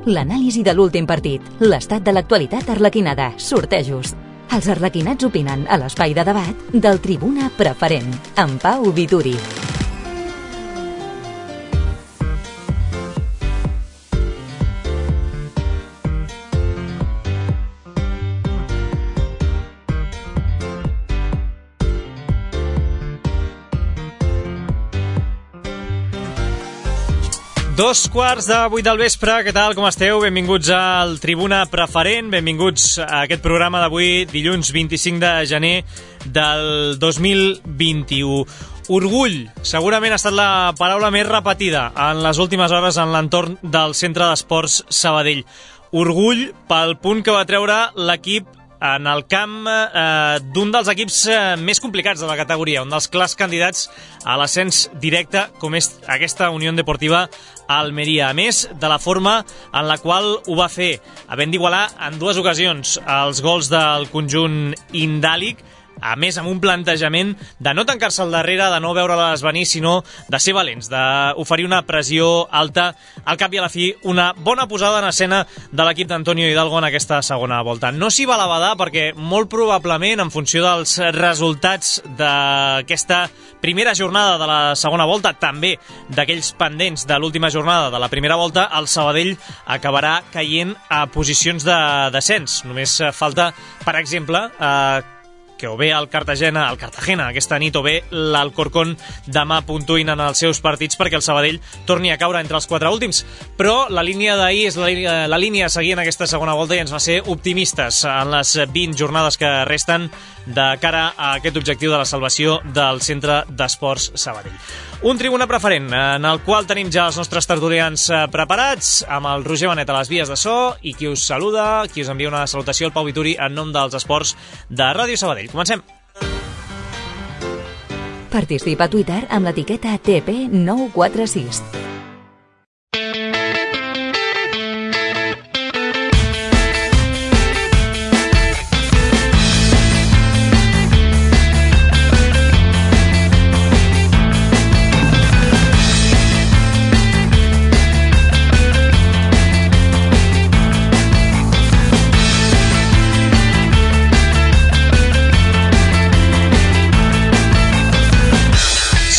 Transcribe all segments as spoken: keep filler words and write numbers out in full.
L'anàlisi de l'últim partit, l'estat de l'actualitat arlequinada, sortejos. Els arlequinats opinen a l'espai de debat del Tribuna Preferent, amb Pau Vituri. Dos quarts de vuit del vespre, què tal, com esteu? Benvinguts al Tribuna Preferent, benvinguts a aquest programa d'avui, dilluns vint-i-cinc de gener del dos mil vint-i-u. Orgull, segurament ha estat la paraula més repetida en les últimes hores en l'entorn del Centre d'Esports Sabadell. Orgull pel punt que va treure l'equip en el camp eh, d'un dels equips eh, més complicats de la categoria, un dels clars candidats a l'ascens directe, com és aquesta Unió Deportiva Almeria. A més, de la forma en la qual ho va fer, havent d'igualar en dues ocasions els gols del conjunt indàlic, a més amb un plantejament de no tancar-se al darrere, de no veure-les venir, sinó de ser valents, d'oferir una pressió alta. Al cap i a la fi, una bona posada en escena de l'equip d'Antonio Hidalgo en aquesta segona volta. No s'hi va la badar perquè molt probablement, en funció dels resultats d'aquesta primera jornada de la segona volta, també d'aquells pendents de l'última jornada de la primera volta, el Sabadell acabarà caient a posicions de descens. Només falta, per exemple, eh, que o bé el Cartagena, el Cartagena aquesta nit, o bé l'Alcorcón demà puntuïn en els seus partits perquè el Sabadell torni a caure entre els quatre últims. Però la línia d'ahir és la, la línia a seguir en aquesta segona volta i ens va ser optimistes en les vint jornades que resten de cara a aquest objectiu de la salvació del Centre d'Esports Sabadell. Un Tribuna Preferent en el qual tenim ja els nostres tertulians preparats, amb el Roger Benet a les vies de so, i qui us saluda, qui us envia una salutació, el Pau Vituri, en nom dels esports de Ràdio Sabadell. Comencem. Participa a Twitter amb l'etiqueta T P nou quatre sis.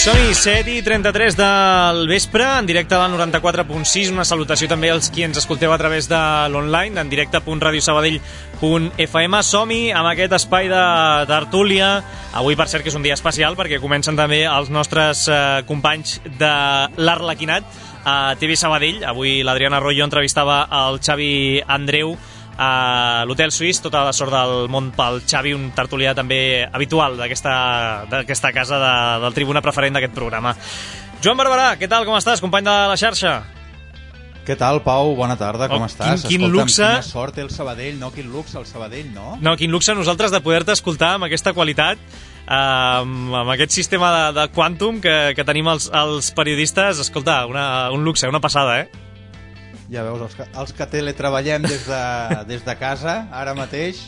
Som-hi, set i trenta-tres del vespre, en directe al noranta-quatre punt sis. Una salutació també als qui ens escolteu a través de l'online, en directe punt radiosabadell punt f m. Som-hi amb aquest espai de tertúlia. Avui, per cert, que és un dia especial, perquè comencen també els nostres eh, companys de l'Arlequinat a T V Sabadell. Avui l'Adriana Arroyo entrevistava el Xavi Andreu a l'Hotel Suís. Tota la sort del món pel Xavi, un tertulià també habitual d'aquesta d'aquesta casa de, del Tribuna Preferent d'aquest programa. Joan Barberà, què tal, com estàs, company de la xarxa? Què tal, Pau? Bona tarda, com oh, estàs? Quin, quin Escolta'm, luxe... quina sort té el Sabadell, no? Quin luxe el Sabadell, no? No, quin luxe nosaltres de poder-te escoltar amb aquesta qualitat, eh, amb, amb aquest sistema de, de quàntum que, que tenim els, els periodistes. Escolta, una, un luxe, una passada, eh? Ja veus, els que, els que teletreballem des de, des de casa, ara mateix,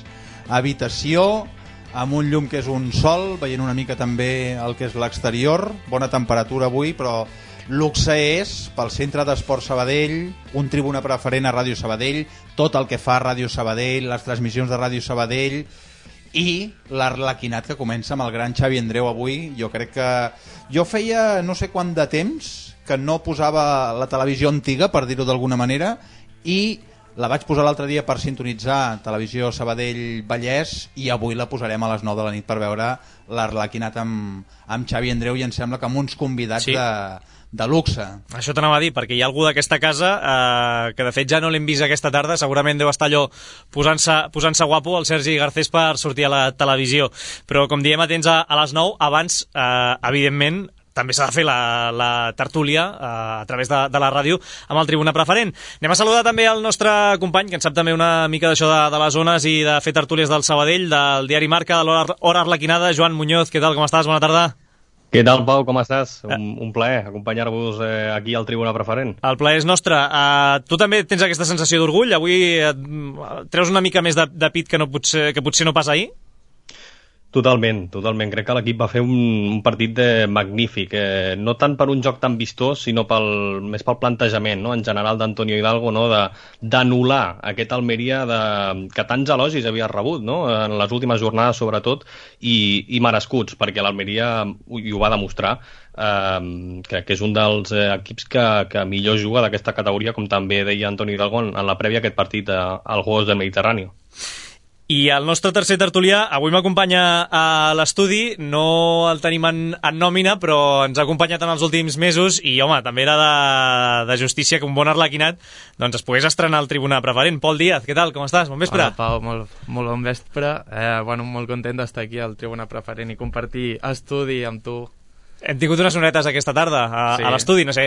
habitació, amb un llum que és un sol, veient una mica també el que és l'exterior, bona temperatura avui, però luxe és pel Centre d'Esports Sabadell, un Tribuna Preferent a Ràdio Sabadell, tot el que fa Ràdio Sabadell, les transmissions de Ràdio Sabadell i l'Arlequinat que comença amb el gran Xavi Andreu avui. Jo crec que... Jo feia no sé quant de temps que no posava la televisió antiga, per dir-ho d'alguna manera, i la vaig posar l'altre dia per sintonitzar Televisió Sabadell Vallès, i avui la posarem a les nou de la nit per veure l'Arlequinat amb, amb Xavi Andreu, i em sembla que amb uns convidats sí. de, de luxe. Això t'anava a dir, perquè hi ha algú d'aquesta casa eh, que de fet ja no l'hem vist aquesta tarda, segurament deu estar allò posant-se posant-se guapo, el Sergi Garcés, per sortir a la televisió. Però com diem, atents a, a les nou, abans, eh, evidentment, també s'ha de fer la, la tertúlia eh, a través de, de la ràdio amb el Tribuna Preferent. Anem a saludar també el nostre company, que en sap també una mica d'això de, de les zones i de fer tertúlies del Sabadell, del diari Marca, de l'Hora Arlequinada. Joan Muñoz, què tal, com estàs? Bona tarda. Què tal, Pau, com estàs? Un, un plaer acompanyar-vos eh, aquí al Tribuna Preferent. El plaer és nostre. Uh, tu també tens aquesta sensació d'orgull? Avui uh, treus una mica més de, de pit que, no potser, que potser no pas ahir? Totalment, totalment. Crec que l'equip va fer un, un partit de magnífic, eh, no tant per un joc tan vistós, sinó pel, més pel plantejament, no? En general d'Antonio Hidalgo, no? De, d'anul·lar aquest Almeria de, que tants elogis havia rebut, no? En les últimes jornades sobretot, i, i merescuts, perquè l'Almeria i ho va demostrar, eh, que, que és un dels eh, equips que, que millor juga d'aquesta categoria, com també deia Antonio Hidalgo en, en la prèvia a aquest partit eh, al Juegos del Mediterrani. I el nostre tercer tertulià avui m'acompanya a l'estudi, no el tenim en, en nòmina, però ens ha acompanyat en els últims mesos i, home, també era de, de justícia que un bon arlequinat doncs es pogués estrenar al Tribuna Preferent. Pol Díaz, què tal? Com estàs? Bon vespre. Hola, Pau, molt, molt bon vespre. Eh, bueno, molt content d'estar aquí al Tribuna Preferent i compartir estudi amb tu. Hem tingut unes sonetes aquesta tarda a, sí. a l'estudi, no sé,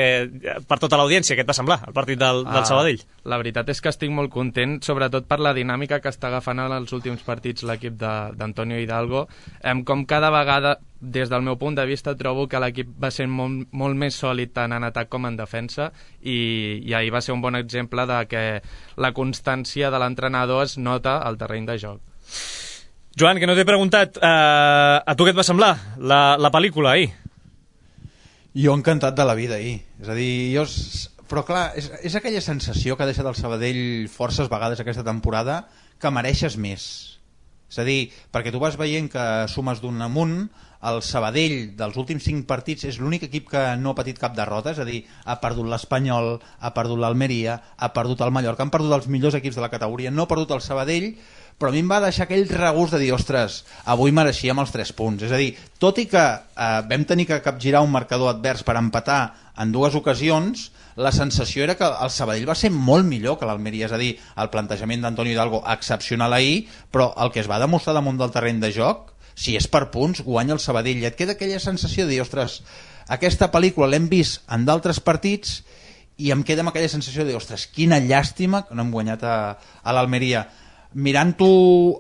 per tota l'audiència, què et va semblar, el partit del, del uh, Sabadell? La veritat és que estic molt content, sobretot per la dinàmica que està agafant en els últims partits l'equip d'Antonio Hidalgo. Em, com cada vegada, des del meu punt de vista, trobo que l'equip va ser molt, molt més sòlid tant en atac com en defensa, i, i ahir va ser un bon exemple de que la constància de l'entrenador es nota al terreny de joc. Joan, que no t'he preguntat, eh, a tu què et va semblar la, la pel·lícula ahir? Jo encantat de la vida ahir, és a dir, jo... Però clar, és, és aquella sensació que ha deixat el Sabadell forces vegades aquesta temporada que mereixes més. És a dir, perquè tu vas veient que sumes d'un amunt, el Sabadell dels últims cinc partits és l'únic equip que no ha patit cap derrota, és a dir, ha perdut l'Espanyol, ha perdut l'Almeria, ha perdut el Mallorca, han perdut els millors equips de la categoria, no ha perdut el Sabadell, però a mi em va deixar aquell regust de dir, ostres, avui mereixíem els tres punts. És a dir, tot i que eh, vam tenir que capgirar un marcador advers per empatar en dues ocasions, la sensació era que el Sabadell va ser molt millor que l'Almeria, és a dir, el plantejament d'Antonio Hidalgo excepcional ahir, però el que es va demostrar damunt del terreny de joc, si és per punts, guanya el Sabadell. I et queda aquella sensació de dir, ostres, aquesta pel·lícula l'hem vist en d'altres partits i em queda amb aquella sensació de dir, ostres, quina llàstima que no hem guanyat a, a l'Almeria. Mirant-ho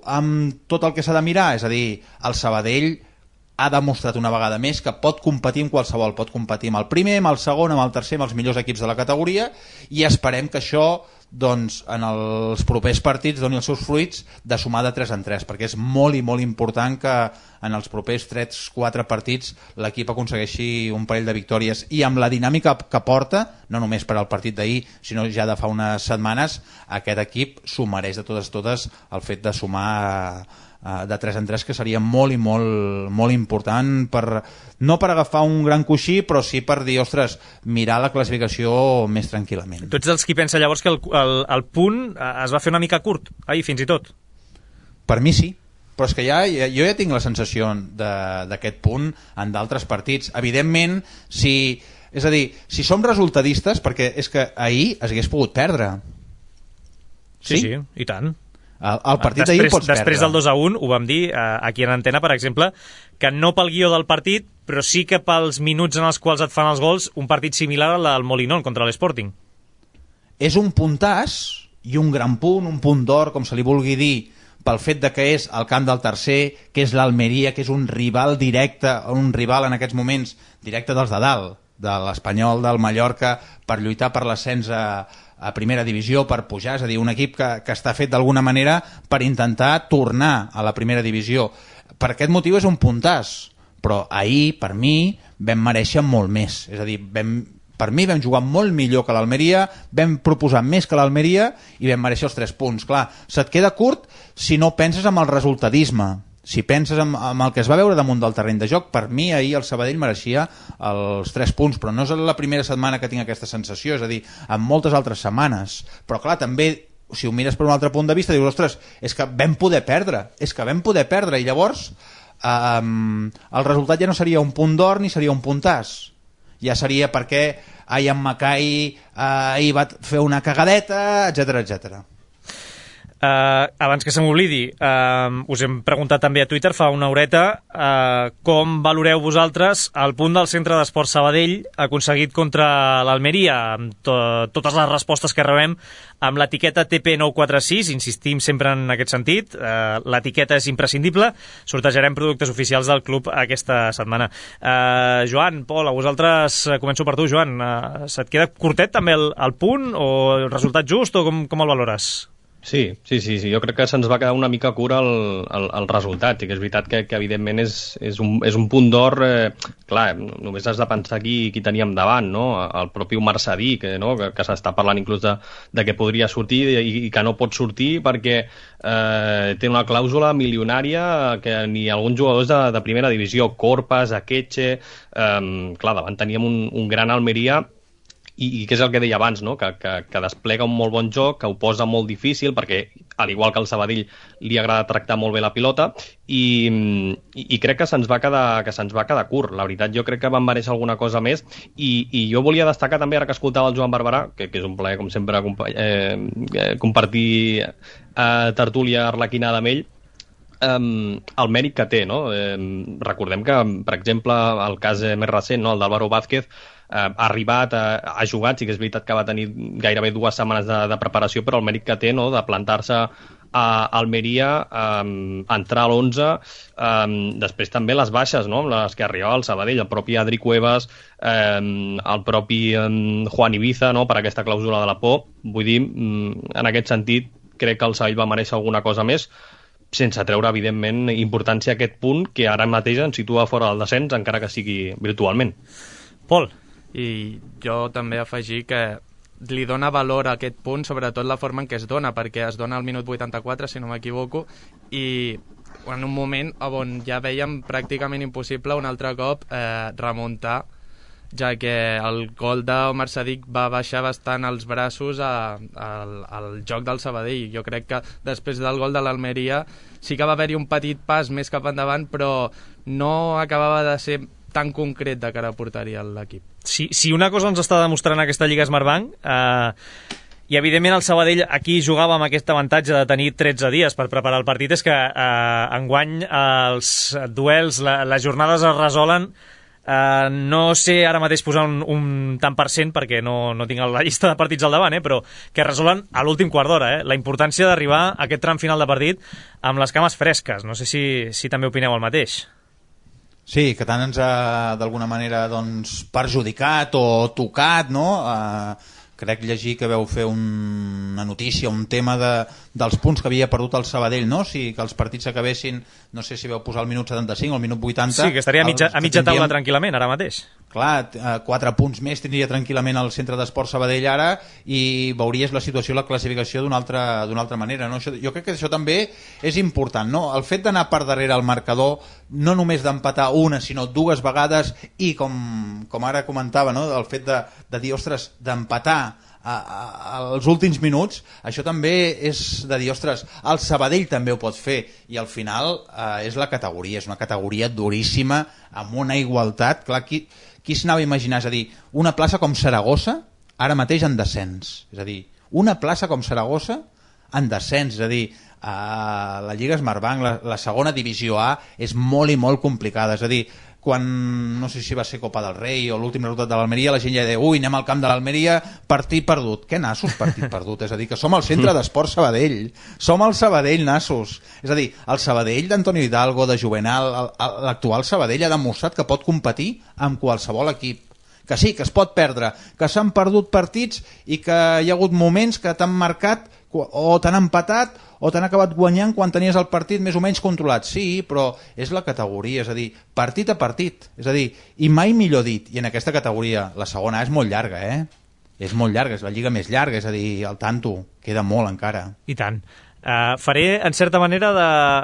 amb tot el que s'ha de mirar, és a dir, el Sabadell ha demostrat una vegada més que pot competir amb qualsevol, pot competir amb el primer, amb el segon, amb el tercer, amb els millors equips de la categoria, i esperem que això doncs, en els propers partits doni els seus fruits de sumar de tres en tres, perquè és molt i molt important que en els propers tres quatre partits l'equip aconsegueixi un parell de victòries, i amb la dinàmica que porta, no només per al partit d'ahir, sinó ja de fa unes setmanes, aquest equip s'ho mereix de totes totes el fet de sumar de tres en tres, que seria molt i molt, molt important, per, no per agafar un gran coixí, però sí per dir, ostres, mirar la classificació més tranquil·lament. Tu ets dels qui pensa llavors que el, el, el punt es va fer una mica curt, ahir fins i tot? Per mi sí, però és que ja, jo ja tinc la sensació d'aquest punt en d'altres partits. Evidentment, si, és a dir, si som resultadistes, perquè és que ahir es hagués pogut perdre. Sí, sí, sí, i tant. El, el partit d'ahir pots perdre. Després del dos a un ho vam dir eh, aquí en antena, per exemple, que no pel guió del partit, però sí que pels minuts en els quals et fan els gols, un partit similar al del Molinón contra l'Sporting. És un puntàs i un gran punt, un punt d'or, com se li vulgui dir, pel fet de que és el camp del tercer, que és l'Almeria, que és un rival directe, un rival en aquests moments directe dels de dalt, de l'Espanyol, del Mallorca, per lluitar per l'ascens a a primera divisió, per pujar, és a dir, un equip que, que està fet d'alguna manera per intentar tornar a la primera divisió. Per aquest motiu és un puntàs, però ahir, per mi, vam mereixer molt més. És a dir, vam, per mi vam jugar molt millor que l'Almeria, vam proposar més que l'Almeria i vam mereixer els tres punts. Clar, se't queda curt si no penses en el resultadisme. Si penses en, en el que es va veure damunt del terreny de joc, per mi ahir el Sabadell mereixia els tres punts, però no és la primera setmana que tinc aquesta sensació, és a dir, en moltes altres setmanes. Però clar, també, si ho mires per un altre punt de vista, dius, ostres, és que vam poder perdre, és que vam poder perdre, i llavors eh, el resultat ja no seria un punt d'or ni seria un puntàs. Ja seria perquè Ian Mackay eh, ahir va fer una cagadeta, etcètera, etcètera. Uh, abans que se m'oblidi, uh, us hem preguntat també a Twitter fa una horeta uh, com valoreu vosaltres el punt del Centre d'Esports Sabadell aconseguit contra l'Almeria, amb to totes les respostes que rebem amb l'etiqueta T P nou quatre sis, insistim sempre en aquest sentit, uh, l'etiqueta és imprescindible, sortejarem productes oficials del club aquesta setmana. uh, Joan, Pol, a vosaltres, uh, començo per tu, Joan, uh, se't queda curtet també el, el punt o el resultat just, o com, com el valores? Sí, sí, sí, sí. Jo crec que se'ns va quedar una mica cura el, el, el resultat, i que és veritat que, que evidentment és, és, un, és un punt d'or, eh, clar, només has de pensar qui, qui teníem davant, no? El propi Omar Sadiq, que, no? que, que s'està parlant inclús de, de que podria sortir i, i que no pot sortir perquè eh, té una clàusula milionària que ni alguns jugadors de, de primera divisió, Corpas, Akeche, eh, clar, davant teníem un, un gran Almeria. I, i què és el que deia abans, no? que, que, que desplega un molt bon joc, que ho posa molt difícil, perquè, al igual que el Sabadell, li agrada tractar molt bé la pilota, i, i, i crec que se'ns va quedar que se'ns va quedar curt. La veritat, jo crec que van mereixer alguna cosa més, i, i jo volia destacar també, ara que escoltava el Joan Barberà, que, que és un plaer, com sempre, eh, compartir eh, tertúlia arlequinada amb ell, Um, el mèrit que té, no? Um, recordem que, per exemple, el cas més recent, no? El d'Álvaro Vázquez, uh, ha arribat, uh, ha jugat, sí que és veritat que va tenir gairebé dues setmanes de, de preparació, però el mèrit que té, no? De plantar-se a Almeria, um, entrar a l'onze, um, després també les baixes, no? Les que arribava al Sabadell, el propi Adri Cuevas, um, el propi um, Juan Ibiza, no? Per aquesta clàusula de la por. Vull dir, um, en aquest sentit, crec que el Sabadell va mereixer alguna cosa més, sense treure, evidentment, importància a aquest punt que ara mateix ens situa fora del descens, encara que sigui virtualment. Pol. I jo també afegir que li dona valor a aquest punt, sobretot la forma en què es dona, perquè es dona al minut vuitanta-quatre, si no m'equivoco, i en un moment on ja vèiem pràcticament impossible un altre cop eh, remuntar, ja que el gol d'Omar Sadiq va baixar bastant els braços a, a, al joc del Sabadell. Jo crec que després del gol de l'Almeria sí que va haver-hi un petit pas més cap endavant, però no acabava de ser tan concret de cara a porteria l'equip. Si, si una cosa ens està demostrant aquesta Lliga Smartbank, eh, i evidentment el Sabadell aquí jugava amb aquest avantatge de tenir tretze dies per preparar el partit, és que eh, enguany els duels, la, les jornades es resolen. Uh, no sé ara mateix posar un, un tant per cent perquè no, no tinc la llista de partits al davant, eh, però que resolen a l'últim quart d'hora. Eh? La importància d'arribar a aquest tram final de partit amb les cames fresques. No sé si, si també opineu el mateix. Sí, que tant ens ha d'alguna manera doncs, perjudicat o tocat, no? Uh, crec llegir que veu fer un, una notícia, un tema de, dels punts que havia perdut el Sabadell, no? Si que els partits s'acabessin, no sé si veu posar el minut setanta-cinc o el minut vuitanta. Sí, que estaria a mitja, a mitja taula tranquil·lament ara mateix. Clar, quatre punts més tindria tranquil·lament el centre d'esport Sabadell ara i veuries la situació, la classificació d'una altra, d'una altra manera, no? Això, jo crec que això també és important, no? El fet d'anar per darrere al marcador, no només d'empatar una, sinó dues vegades, i com, com ara comentava, no? El fet de, de dir, ostres, d'empatar als últims minuts, això també és de dir, ostres, el Sabadell també ho pot fer, i al final eh, és la categoria, és una categoria duríssima, amb una igualtat. Clar, qui, qui s'anava a imaginar? És a dir, una plaça com Saragossa ara mateix en descens, és a dir, una plaça com Saragossa en descens, és a dir, a la Lliga Smartbank, la, la segona divisió A és molt i molt complicada, és a dir, quan, no sé si va ser Copa del Rei o l'últim resultat de l'Almeria, la gent ja deia, ui, anem al camp de l'Almeria, partit perdut. Què nassos, partit perdut? És a dir, que som el centre d'esport Sabadell, som el Sabadell, nassos. És a dir, el Sabadell d'Antonio Hidalgo, de Juvenal, l'actual Sabadell ha demostrat que pot competir amb qualsevol equip, que sí, que es pot perdre, que s'han perdut partits i que hi ha hagut moments que t'han marcat o t'han empatat o t'han acabat guanyant quan tenies el partit més o menys controlat. Sí, però és la categoria, és a dir, partit a partit, és a dir, i mai millor dit, i en aquesta categoria la segona és molt llarga, eh? És molt llarga, és la lliga més llarga, és a dir, al tanto, queda molt encara. I tant. Uh, faré, en certa manera,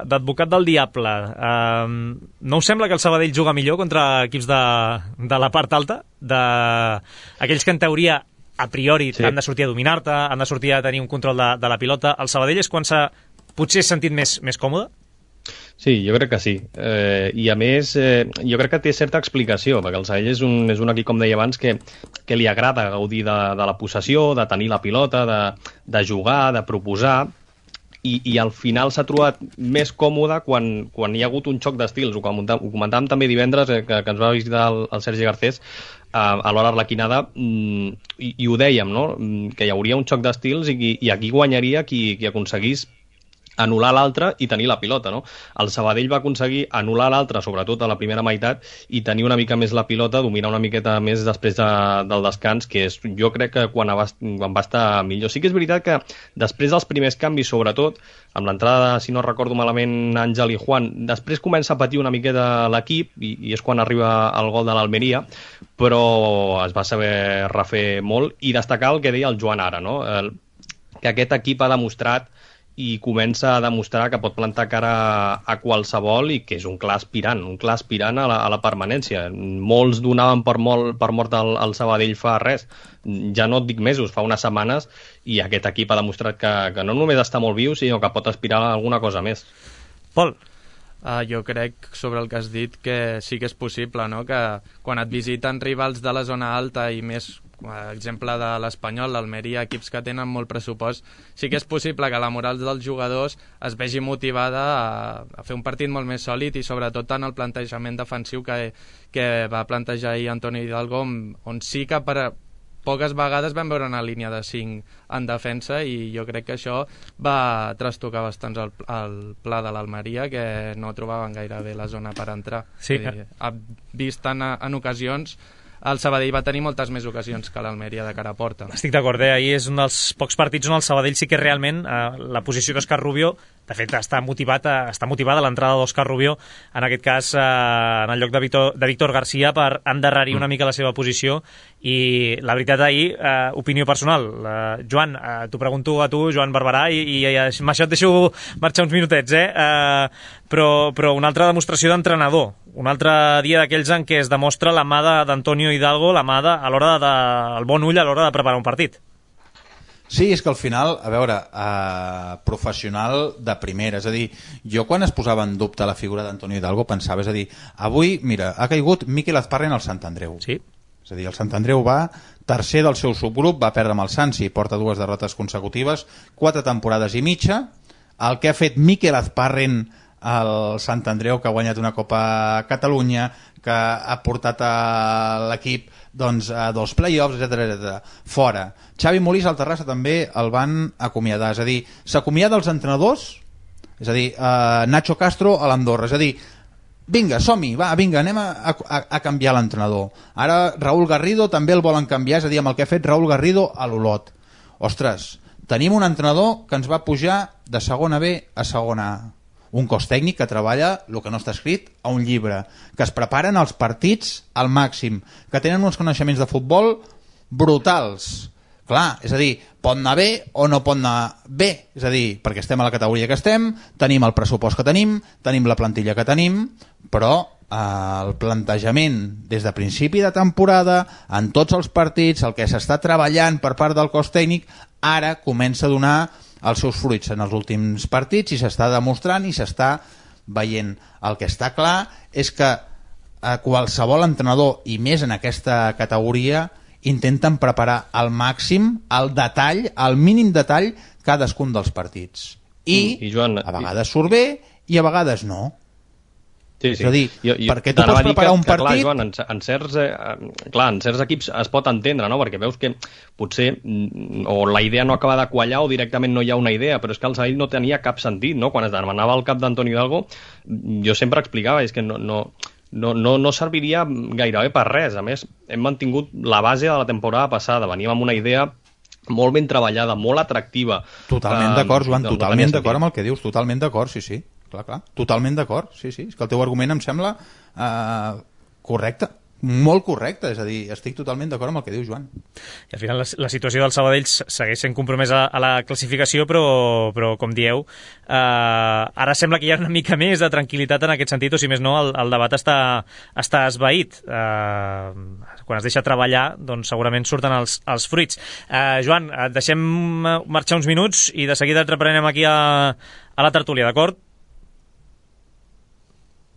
d'advocat de, del diable. Uh, no us sembla que el Sabadell juga millor contra equips de, de la part alta? De, aquells que, en teoria, a priori sí, han de sortir a dominar-te, han de sortir a tenir un control de, de la pilota. El Sabadell és quan s'ha potser sentit més, més còmode? Sí, jo crec que sí. Eh, I a més, eh, jo crec que té certa explicació, perquè el Sabadell és un, és un equip, com deia abans, que, que li agrada gaudir de, de la possessió, de tenir la pilota, de, de jugar, de proposar, i, i al final s'ha trobat més còmode quan, quan hi ha hagut un xoc d'estils. Ho comentàvem, ho comentàvem també divendres, eh, que, que ens va visitar el, el Sergi Garcés, a l'hora arlequinada, i, i ho dèiem, no? Que hi hauria un xoc d'estils i, i aquí guanyaria qui, qui aconseguís anul·lar l'altre i tenir la pilota, no? El Sabadell va aconseguir anul·lar l'altre, sobretot a la primera meitat, i tenir una mica més la pilota, dominar una miqueta més després de, del descans, que és, jo crec que quan va, quan va estar millor. Sí que és veritat que després dels primers canvis, sobretot, amb l'entrada, si no recordo malament, Àngel i Juan, després comença a patir una miqueta l'equip, i, i és quan arriba el gol de l'Almeria, però es va saber refer molt, i destacar el que deia el Joan ara, no? El, que aquest equip ha demostrat i comença a demostrar que pot plantar cara a qualsevol i que és un clar aspirant, un clar aspirant a la, a la permanència. Molts donaven per, molt, per mort el, el Sabadell fa res, ja no et dic mesos, fa unes setmanes, i aquest equip ha demostrat que, que no només està molt viu, sinó que pot aspirar a alguna cosa més. Pol? Uh, jo crec, sobre el que has dit, que sí que és possible, no? Que quan et visiten rivals de la zona alta i més, exemple de l'Espanyol, l'Almeria, equips que tenen molt pressupost, sí que és possible que la moral dels jugadors es vegi motivada a, a fer un partit molt més sòlid i sobretot en el plantejament defensiu que, que va plantejar ahir Antonio Hidalgo, on, on sí que per poques vegades vam veure una línia de cinc en defensa i jo crec que això va trastocar bastant el, el pla de l'Almeria, que no trobaven gaire bé la zona per entrar. Sí. Eh, ha vist en, en ocasions el Sabadell va tenir moltes més ocasions que l'Almeria de cara a porta. Estic d'acord, eh? Ahir és un dels pocs partits on el Sabadell sí que realment eh, la posició d'Òscar Rubio, de fet està motivat a, està motivada l'entrada d'Òscar Rubio, en aquest cas eh, en el lloc de Víctor, de Víctor García, per endarrerir una mica la seva posició, i la veritat ahir, eh, opinió personal, eh, Joan, eh, t'ho pregunto a tu, Joan Barberà, i, i, i amb això et deixo marxar uns minutets, eh? eh però, però una altra demostració d'entrenador, un altre dia d'aquells en què es demostra la mà d'Antonio Hidalgo, la mà de, a l'hora de, el bon ull a l'hora de preparar un partit. Sí, és que al final, a veure, eh, professional de primera, és a dir, jo quan es posava en dubte la figura d'Antonio Hidalgo pensava, és a dir, avui, mira, ha caigut Mikel Azparren al Sant Andreu. Sí. És a dir, el Sant Andreu va tercer del seu subgrup, va perdre amb el Sansi, porta dues derrotes consecutives, quatre temporades i mitja. El que ha fet Mikel Azparren al Sant Andreu, que ha guanyat una Copa Catalunya, que ha portat a l'equip doncs, a dos play-offs, etcètera, etcètera. Fora. Xavi Molís al Terrassa també el van acomiadar, és a dir, s'acomiada els entrenadors, és a dir, eh, Nacho Castro a l'Andorra, és a dir, vinga, som-hi, va, vinga, anem a, a, a canviar l'entrenador. Ara Raúl Garrido també el volen canviar, és a dir, amb el que ha fet Raúl Garrido a l'Olot. Ostres, tenim un entrenador que ens va pujar de segona B a segona A. Un cos tècnic que treballa el que no està escrit a un llibre, que es preparen els partits al màxim, que tenen uns coneixements de futbol brutals. Clar, és a dir, pot anar bé o no pot anar bé, és a dir, perquè estem a la categoria que estem, tenim el pressupost que tenim, tenim la plantilla que tenim, però eh, el plantejament des de principi de temporada, en tots els partits, el que s'està treballant per part del cos tècnic, ara comença a donar els seus fruits en els últims partits i s'està demostrant i s'està veient. El que està clar és que a qualsevol entrenador, i més en aquesta categoria, intenten preparar al màxim, al detall, al mínim detall, cadascun dels partits. I, I Joan, a vegades surt bé i a vegades no. Sí, sí. És a dir, jo, jo, perquè tu pots preparar que, un partit... Que, clar, Joan, en, en, certs, eh, clar, en certs equips es pot entendre, no? Perquè veus que potser o la idea no acaba de quallar o directament no hi ha una idea, però és que el Sabadell no tenia cap sentit, no? Quan es demanava el cap d'Antonio Hidalgo, jo sempre explicava, és que no, no, no, no, no serviria gairebé per res. A més, hem mantingut la base de la temporada passada, veníem amb una idea molt ben treballada, molt atractiva. Totalment d'acord, Joan, no, totalment no d'acord amb el que dius, totalment d'acord, sí, sí. Clar, clar. Totalment d'acord, sí, sí. És que el teu argument em sembla eh, correcte, molt correcte, és a dir, estic totalment d'acord amb el que diu Joan. I al final la, la situació del Sabadell segueix sent compromesa a la classificació, però, però com dieu, eh, ara sembla que hi ha una mica més de tranquil·litat en aquest sentit, o si més no, el, el debat està, està esvaït. Eh, quan es deixa treballar, doncs segurament surten els, els fruits. Eh, Joan, et deixem marxar uns minuts i de seguida et reprenem aquí a, a la tertúlia, d'acord?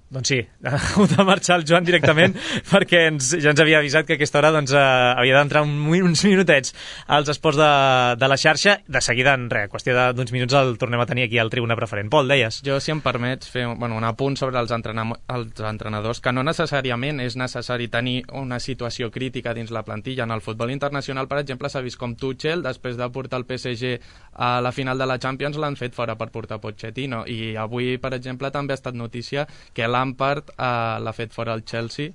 Doncs sí, ha hagut de marxar el Joan directament perquè ens, ja ens havia avisat que a aquesta hora doncs, eh, havia d'entrar un, uns minutets als esports de, de la xarxa. De seguida, en res, qüestió d'uns minuts el tornem a tenir aquí al Tribuna Preferent. Pol, deies? Jo, si em permets, fer bueno, un apunt sobre els, entrena els entrenadors, que no necessàriament és necessari tenir una situació crítica dins la plantilla. En el futbol internacional, per exemple, s'ha vist com Tuchel, després de portar el P S G a la final de la Champions, l'han fet fora per portar Pochettino. I avui, per exemple, també ha estat notícia que Lampard eh, l'ha fet fora el Chelsea,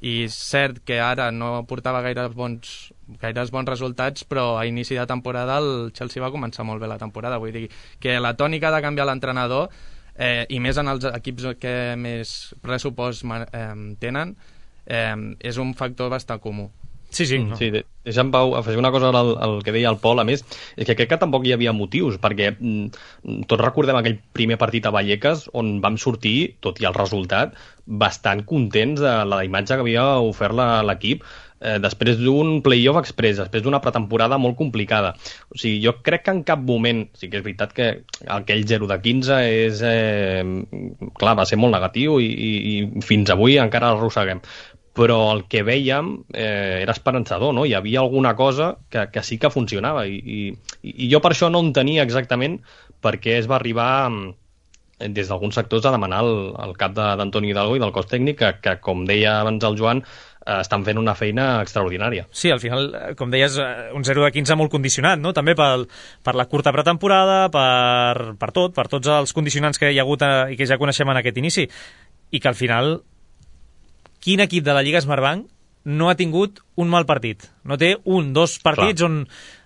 i cert que ara no portava gaires bons, gaires bons resultats, però a inici de temporada el Chelsea va començar molt bé la temporada. Vull dir que la tònica de canviar l'entrenador, eh, i més en els equips que més pressupost eh, tenen, eh, és un factor bastant comú. Sí, sí. No. Sí, deixa'm, Pau, afegir una cosa al, al que deia el Pol. A més, és que crec que tampoc hi havia motius, perquè mm, tots recordem aquell primer partit a Vallecas on vam sortir, tot i el resultat, bastant contents de la imatge que havia ofert l'equip eh, després d'un play-off express, després d'una pretemporada molt complicada. O sigui, jo crec que en cap moment, sí que és veritat que aquell zero de quinze és, eh, clar, va ser molt negatiu i, i, i fins avui encara l'arrosseguem. Però el que vèiem eh, era esperançador, no? Hi havia alguna cosa que, que sí que funcionava i, i, i jo per això no entenia exactament per què es va arribar des d'alguns sectors a demanar el, el cap d'Antoni Hidalgo i del cos tècnic que, que com deia abans el Joan, eh, estan fent una feina extraordinària. Sí, al final, com deies, un zero de quinze molt condicionat, no? També per, per la curta pretemporada, per, per tot, per tots els condicionants que hi ha hagut eh, i que ja coneixem en aquest inici, i que al final quin equip de la Lliga Smartbank no ha tingut un mal partit? No té un, dos partits Clar. on,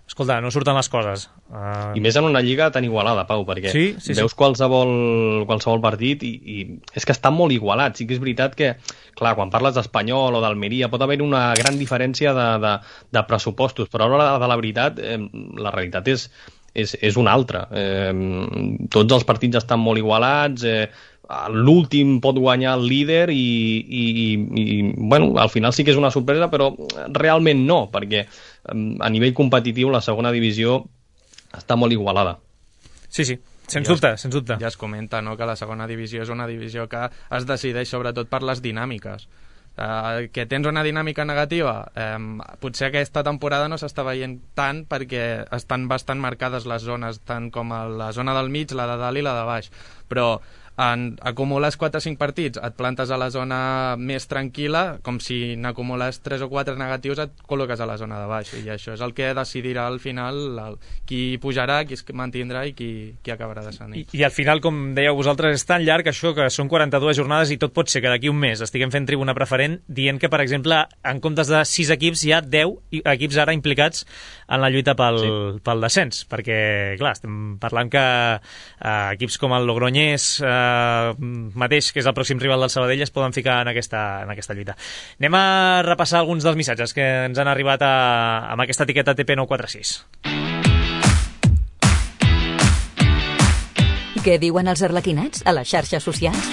escolta, no surten les coses. Uh... I més en una lliga tan igualada, Pau, perquè sí, sí, veus sí. Qualsevol, qualsevol partit i, i és que està molt igualat. Sí que és veritat que, clar, quan parles d'Espanyol o d'Almeria pot haver una gran diferència de, de, de pressupostos, però a l'hora de la veritat eh, la realitat és, és, és una altra. Eh, tots els partits estan molt igualats, eh, l'últim pot guanyar el líder i, i, i bueno, al final sí que és una sorpresa, però realment no, perquè a nivell competitiu la segona divisió està molt igualada. Sí, sí, sens ja dubte, es, sens dubte. Ja es comenta, no?, que la segona divisió és una divisió que es decideix sobretot per les dinàmiques. Uh, que tens una dinàmica negativa, um, potser aquesta temporada no s'està veient tant perquè estan bastant marcades les zones, tant com a la zona del mig, la de dalt i la de baix, però en acumules quatre o cinc partits, et plantes a la zona més tranquil·la, com si n'acumules tres o quatre negatius et col·loques a la zona de baix, i això és el que decidirà al final el, qui pujarà, qui es mantindrà i qui, qui acabarà descendint. I, I al final, com dèieu vosaltres, és tan llarg això que són quaranta-dues jornades i tot pot ser que d'aquí un mes estiguem fent Tribuna Preferent dient que, per exemple, en comptes de sis equips hi ha deu equips ara implicats en la lluita pel, sí. pel descens, perquè, clar, estem parlant que eh, equips com el Logroñés eh, mateix, que és el pròxim rival del Sabadell, es poden ficar en aquesta, en aquesta lluita. Anem a repassar alguns dels missatges que ens han arribat a, amb aquesta etiqueta T P nou quatre sis. Què diuen els arlequinats a les xarxes socials?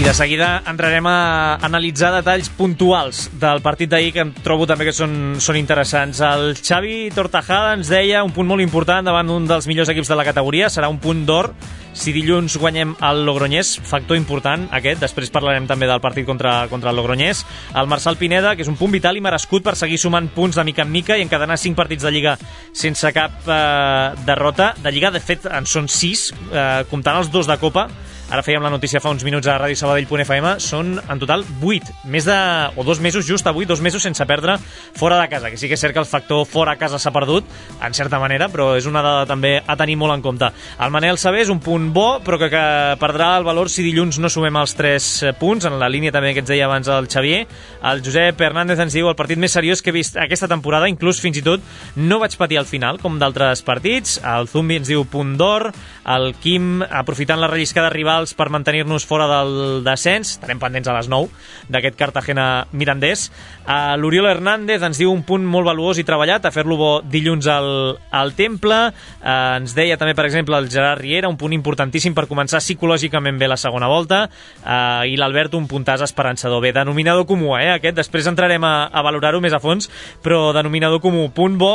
De seguida entrarem a analitzar detalls puntuals del partit d'ahir que em trobo també que són, són interessants. El Xavi Tortajada ens deia un punt molt important davant d'un dels millors equips de la categoria, serà un punt d'or si dilluns guanyem el Logroñés, factor important aquest, després parlarem també del partit contra, contra el Logroñés. El Marçal Pineda, que és un punt vital i merescut per seguir sumant punts de mica en mica i encadenar cinc partits de Lliga sense cap eh, derrota. De Lliga, de fet, en són sis, eh, comptant els dos de Copa. Ara fèiem la notícia fa uns minuts a ràdio sabadell punt f m, són en total vuit, més de, o dos mesos just avui, dos mesos sense perdre fora de casa, que sí que és cert que el factor fora a casa s'ha perdut, en certa manera, però és una dada també a tenir molt en compte. El Manel Sabé és un punt bo, però que, que perdrà el valor si dilluns no sumem els tres punts, en la línia també que ens deia abans el Xavier. El Josep Hernández ens diu el partit més seriós que he vist aquesta temporada, inclús fins i tot no vaig patir al final, com d'altres partits. El Zumbi ens diu punt d'or, el Quim, aprofitant la relliscada rival per mantenir-nos fora del descens, estarem pendents a les nou d'aquest Cartagena-Mirandés. Uh, L'Oriol Hernández ens diu un punt molt valuós i treballat, a fer-lo bo dilluns al, al Temple. Uh, ens deia també, per exemple, el Gerard Riera, un punt importantíssim per començar psicològicament bé la segona volta, uh, i l'Albert un puntàs esperançador. Bé, denominador comú, eh, aquest, després entrarem a, a valorar-ho més a fons, però denominador comú, punt bo,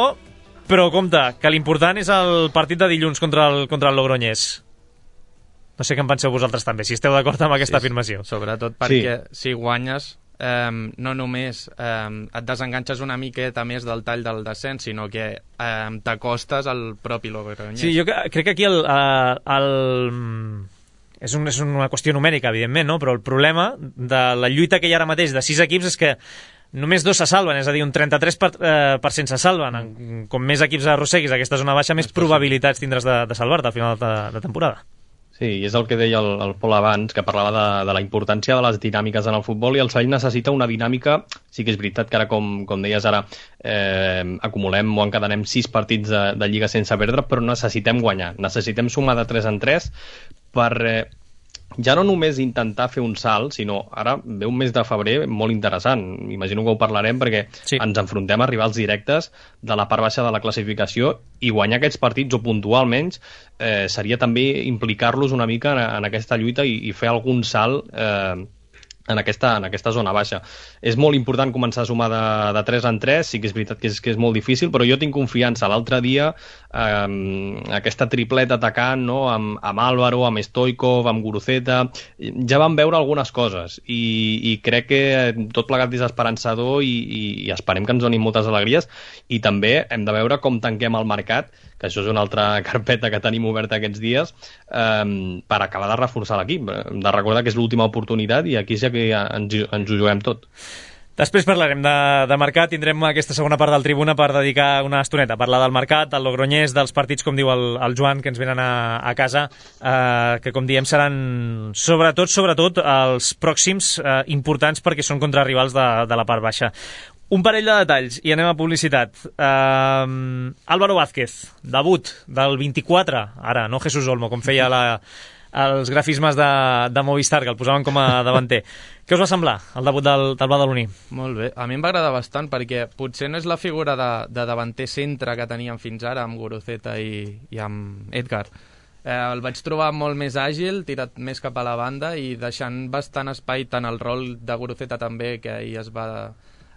Però compte, que l'important és el partit de dilluns contra el, contra el Logroñés. No sé què en penseu vosaltres també, si esteu d'acord amb aquesta sí, afirmació. Sobretot perquè sí. si guanyes, eh, no només eh, et desenganxes una miqueta més del tall del descens, sinó que eh, t'acostes al propi Logroñés. Sí, jo crec que aquí el... el És, un, és una qüestió numèrica, evidentment, no? Però el problema de la lluita que hi ha ara mateix de sis equips és que només dos se salven, és a dir, un trenta-tres per cent se salven. Com més equips arrosseguis aquesta zona baixa, més probabilitats tindràs de, de salvar-te al final de, de temporada. Sí, i és el que deia el, el Pol abans, que parlava de, de la importància de les dinàmiques en el futbol, i el Sabadell necessita una dinàmica. Sí que és veritat que ara, com, com deies ara, eh, acumulem o encadenem sis partits de, de Lliga sense perdre, però necessitem guanyar. Necessitem sumar de tres en tres per eh, ja no només intentar fer un salt, sinó ara ve un mes de febrer molt interessant. Imagino que ho parlarem perquè sí. ens enfrontem a rivals directes de la part baixa de la classificació, i guanyar aquests partits o puntualment eh, seria també implicar-los una mica en, en aquesta lluita i, i fer algun salt eh, en aquesta, en aquesta zona baixa. És molt important començar a sumar de, de tres en tres, sí que és veritat que és, que és molt difícil, però jo tinc confiança. L'altre dia eh, aquesta tripleta atacant, no? amb, amb Álvaro, amb Stoichkov, amb Guruceta, ja vam veure algunes coses, i, i crec que tot plegat és esperançador, i, i, i esperem que ens donin moltes alegries, i també hem de veure com tanquem el mercat, que això és una altra carpeta que tenim oberta aquests dies, eh, per acabar de reforçar l'equip, de recordar que és l'última oportunitat, i aquí sí que ens, ens ho juguem tot. Després parlarem de, de mercat, tindrem aquesta segona part del Tribuna per dedicar una estoneta a parlar del mercat, del Logroñés, dels partits, com diu el, el Joan, que ens venen a, a casa, eh, que com diem seran sobretot, sobretot els pròxims eh, importants, perquè són contra rivals de, de la part baixa. Un parell de detalls i anem a publicitat. Uh, Álvaro Vázquez, debut del vint-i-quatre, ara, no Jesús Olmo, com feia la, els grafismes de, de Movistar, que el posaven com a davanter. Què us va semblar, el debut del, del badaloní? Molt bé, a mi em va agradar bastant, perquè potser no és la figura de, de davanter centre que teníem fins ara, amb Guruceta i, i amb Edgar. Eh, el vaig trobar molt més àgil, tirat més cap a la banda, i deixant bastant espai tant al rol de Guruceta també, que ahir es va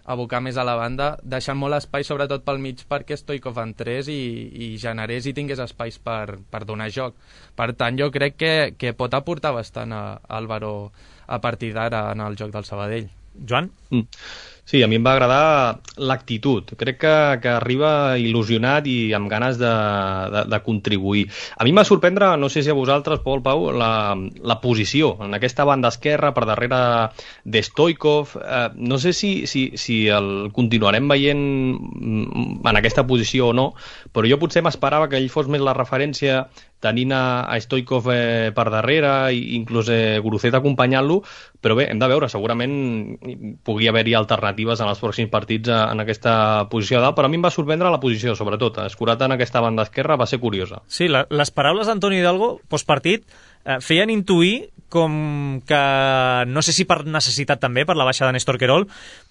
abocar més a la banda, deixant molt espai sobretot pel mig perquè Stoichkov entrés i, i generés i tingués espais per, per donar joc. Per tant, jo crec que, que pot aportar bastant a, a Álvaro a partir d'ara en el joc del Sabadell. Joan? Mm. Sí, a mi em va agradar l'actitud. Crec que, que arriba il·lusionat i amb ganes de, de, de contribuir. A mi em va sorprendre, no sé si a vosaltres, Pol, Pau, la, la posició en aquesta banda esquerra, per darrere de Stoichkov. Eh, no sé si, si, si el continuarem veient en aquesta posició o no, però jo potser m'esperava que ell fos més la referència, tenint a, a Stoichkov eh, per darrere, i inclús eh, Guruceta acompanyant-lo, però bé, hem de veure, segurament pugui haver-hi alternatives en els pròxims partits en aquesta posició de dalt, però a mi em va sorprendre la posició, sobretot, escurat en aquesta banda esquerra va ser curiosa. Sí, la, les paraules d'Antonio Hidalgo, postpartit, eh, feien intuir com que, no sé si per necessitat també, per la baixa de Néstor Querol,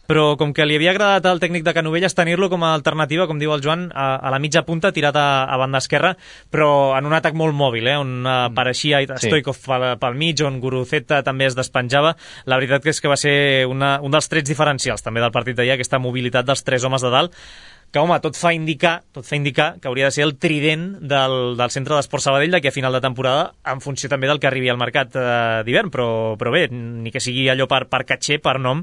però com que li havia agradat al tècnic de Canovelles tenir-lo com a alternativa, com diu el Joan, a, a la mitja punta, tirat a, a banda esquerra, però en un atac molt mòbil, eh, on apareixia Stoichkov sí. pel, pel mig, on Guruceta també es despenjava. La veritat és que va ser una, un dels trets diferencials també del partit d'ahir, aquesta mobilitat dels tres homes de dalt, que, home, tot fa indicar, tot fa indicar que hauria de ser el trident del, del centre d'Esport Sabadell d'aquí a final de temporada, en funció també del que arribi al mercat eh, d'hivern, però, però bé, ni que sigui allò per, per catxer, per nom,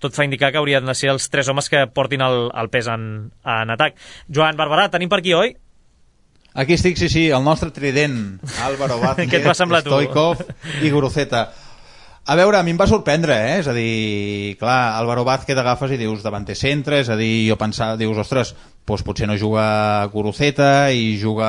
tot fa indicar que haurien de ser els tres homes que portin el, el pes en, en atac. Joan Barberà, tenim per aquí, oi? Aquí estic, sí, sí, el nostre trident, Álvaro Vázquez, Stoichkov i Guruceta. A veure, a mi em va sorprendre, eh? És a dir, clar, Álvaro Vázquez agafes i dius davanter centre, és a dir, jo pensava, dius, ostres, doncs potser no juga Guruceta i juga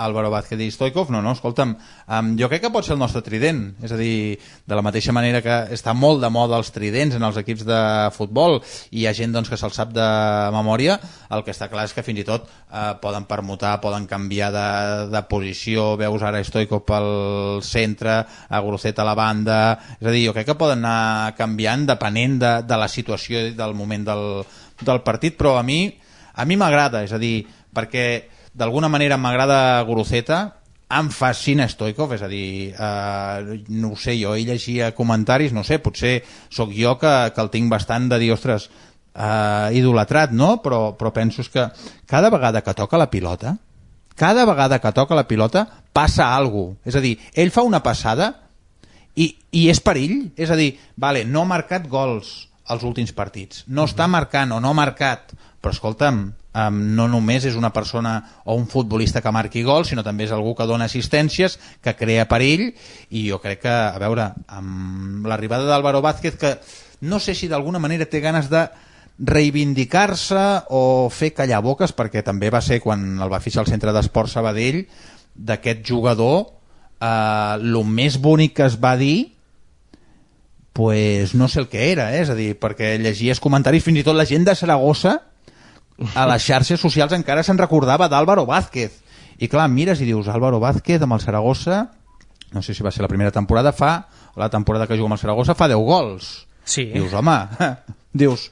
Álvaro Vázquez i Stoichkov. No, no, escolta'm, um, jo crec que pot ser el nostre trident, és a dir, de la mateixa manera que està molt de moda els tridents en els equips de futbol i hi ha gent doncs, que se'l sap de memòria, el que està clar és que fins i tot eh, poden permutar, poden canviar de, de posició, veus ara Stoichkov pel centre, a Guruceta a la banda, és a dir, jo crec que poden anar canviant depenent de, de la situació i del moment del, del partit, però a mi a mi m'agrada, és a dir, perquè d'alguna manera m'agrada Guruceta, em fascina Stoichkov, és a dir, eh, no ho sé, jo hi llegia comentaris, no sé, potser sóc jo que, que el tinc bastant de dir, ostres, uh, idolatrat, no? Però, però penso que cada vegada que toca la pilota, cada vegada que toca la pilota passa alguna cosa. És a dir, ell fa una passada i, i és perill. És a dir, vale, no ha marcat gols als últims partits, no està marcant o no ha marcat, però escolta'm, um, no només és una persona o un futbolista que marqui gols, sinó també és algú que dona assistències, que crea perill, i jo crec que, a veure, amb l'arribada d'Álvaro Vázquez, que no sé si d'alguna manera té ganes de reivindicar-se o fer callar boques, perquè també va ser quan el va fixar al Centre d'Esport Sabadell, d'aquest jugador, eh, el més bonic que es va dir, pues no sé el que era, eh? És a dir, perquè llegies comentaris, fins i tot la gent de Saragossa a les xarxes socials encara se'n recordava d'Álvaro Vázquez, i clar, mires i dius, Álvaro Vázquez amb el Saragossa, no sé si va ser la primera temporada, fa la temporada que juga amb el Saragossa fa deu gols. Sí. Dius, home, dius,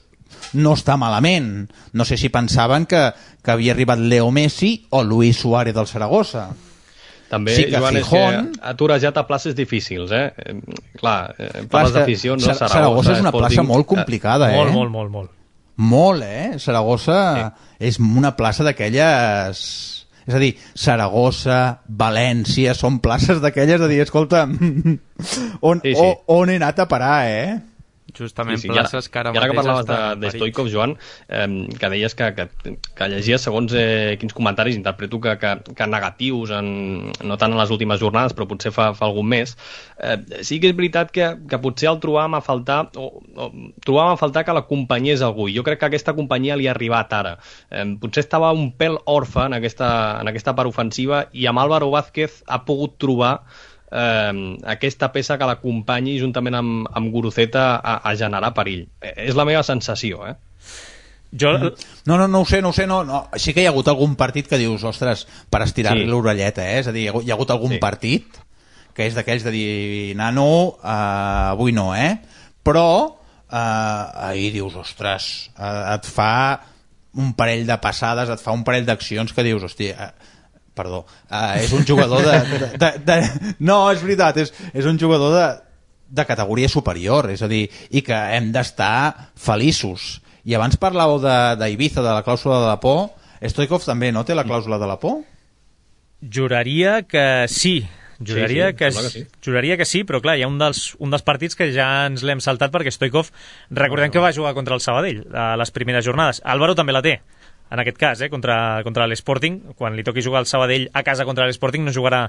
no està malament. No sé si pensaven que, que havia arribat Leo Messi o Luis Suárez del Saragossa. També, sí, Joan, Fijón... és que ha torejat a places difícils, eh? eh clar, eh, parles d'afició, no? Saragossa, Saragossa és una Sporting... plaça molt complicada, eh? Molt, molt, molt, molt. Molt, eh? Saragossa sí. És una plaça d'aquelles... És a dir, Saragossa, València, són places d'aquelles de dir, escolta, on, sí, sí. on he anat a parar, eh? Justament sí, sí. places que ara mateix... I ara que parlaves de, de Stoichkov, Joan, eh, que deies que, que, que llegies segons eh, quins comentaris, interpreto que, que, que negatius, en, no tant en les últimes jornades, però potser fa, fa algun mes, eh, sí que és veritat que, que potser el trobàvem a faltar, o, o trobàvem a faltar que l'acompanyés algú. Jo crec que aquesta companyia li ha arribat ara. Eh, potser estava un pèl orfe en aquesta, en aquesta part ofensiva, i amb Álvaro Vázquez ha pogut trobar Eh, aquesta peça que l'acompanyi juntament amb, amb Guruceta a, a generar perill. Eh, és la meva sensació, eh? Jo... No, no, no ho sé, no ho sé, no, no. Sí que hi ha hagut algun partit que dius, ostres, per estirar-li sí. l'orelleta, eh? És a dir, hi ha hagut algun sí. partit que és d'aquells de dir, nano, uh, avui no, eh? Però uh, ahir dius, ostres, uh, et fa un parell de passades, et fa un parell d'accions que dius, hòstia... Uh, perdó, uh, és un jugador de, de, de, de... No, és veritat, és, és un jugador de, de categoria superior, és a dir, i que hem d'estar feliços. I abans parlàveu d'Ibiza, de, de la clàusula de la por. Stoichkov també, no, té la clàusula de la por? Juraria que sí. Juraria, sí, sí, que, que sí. juraria que sí, però clar, hi ha un dels, un dels partits que ja ens l'hem saltat perquè Stoichkov, recordem no, no. que va jugar contra el Sabadell a les primeres jornades. Álvaro també la té. En aquest cas, eh, contra, contra l'Sporting, quan li toqui jugar al Sabadell a casa contra l'Sporting, no jugarà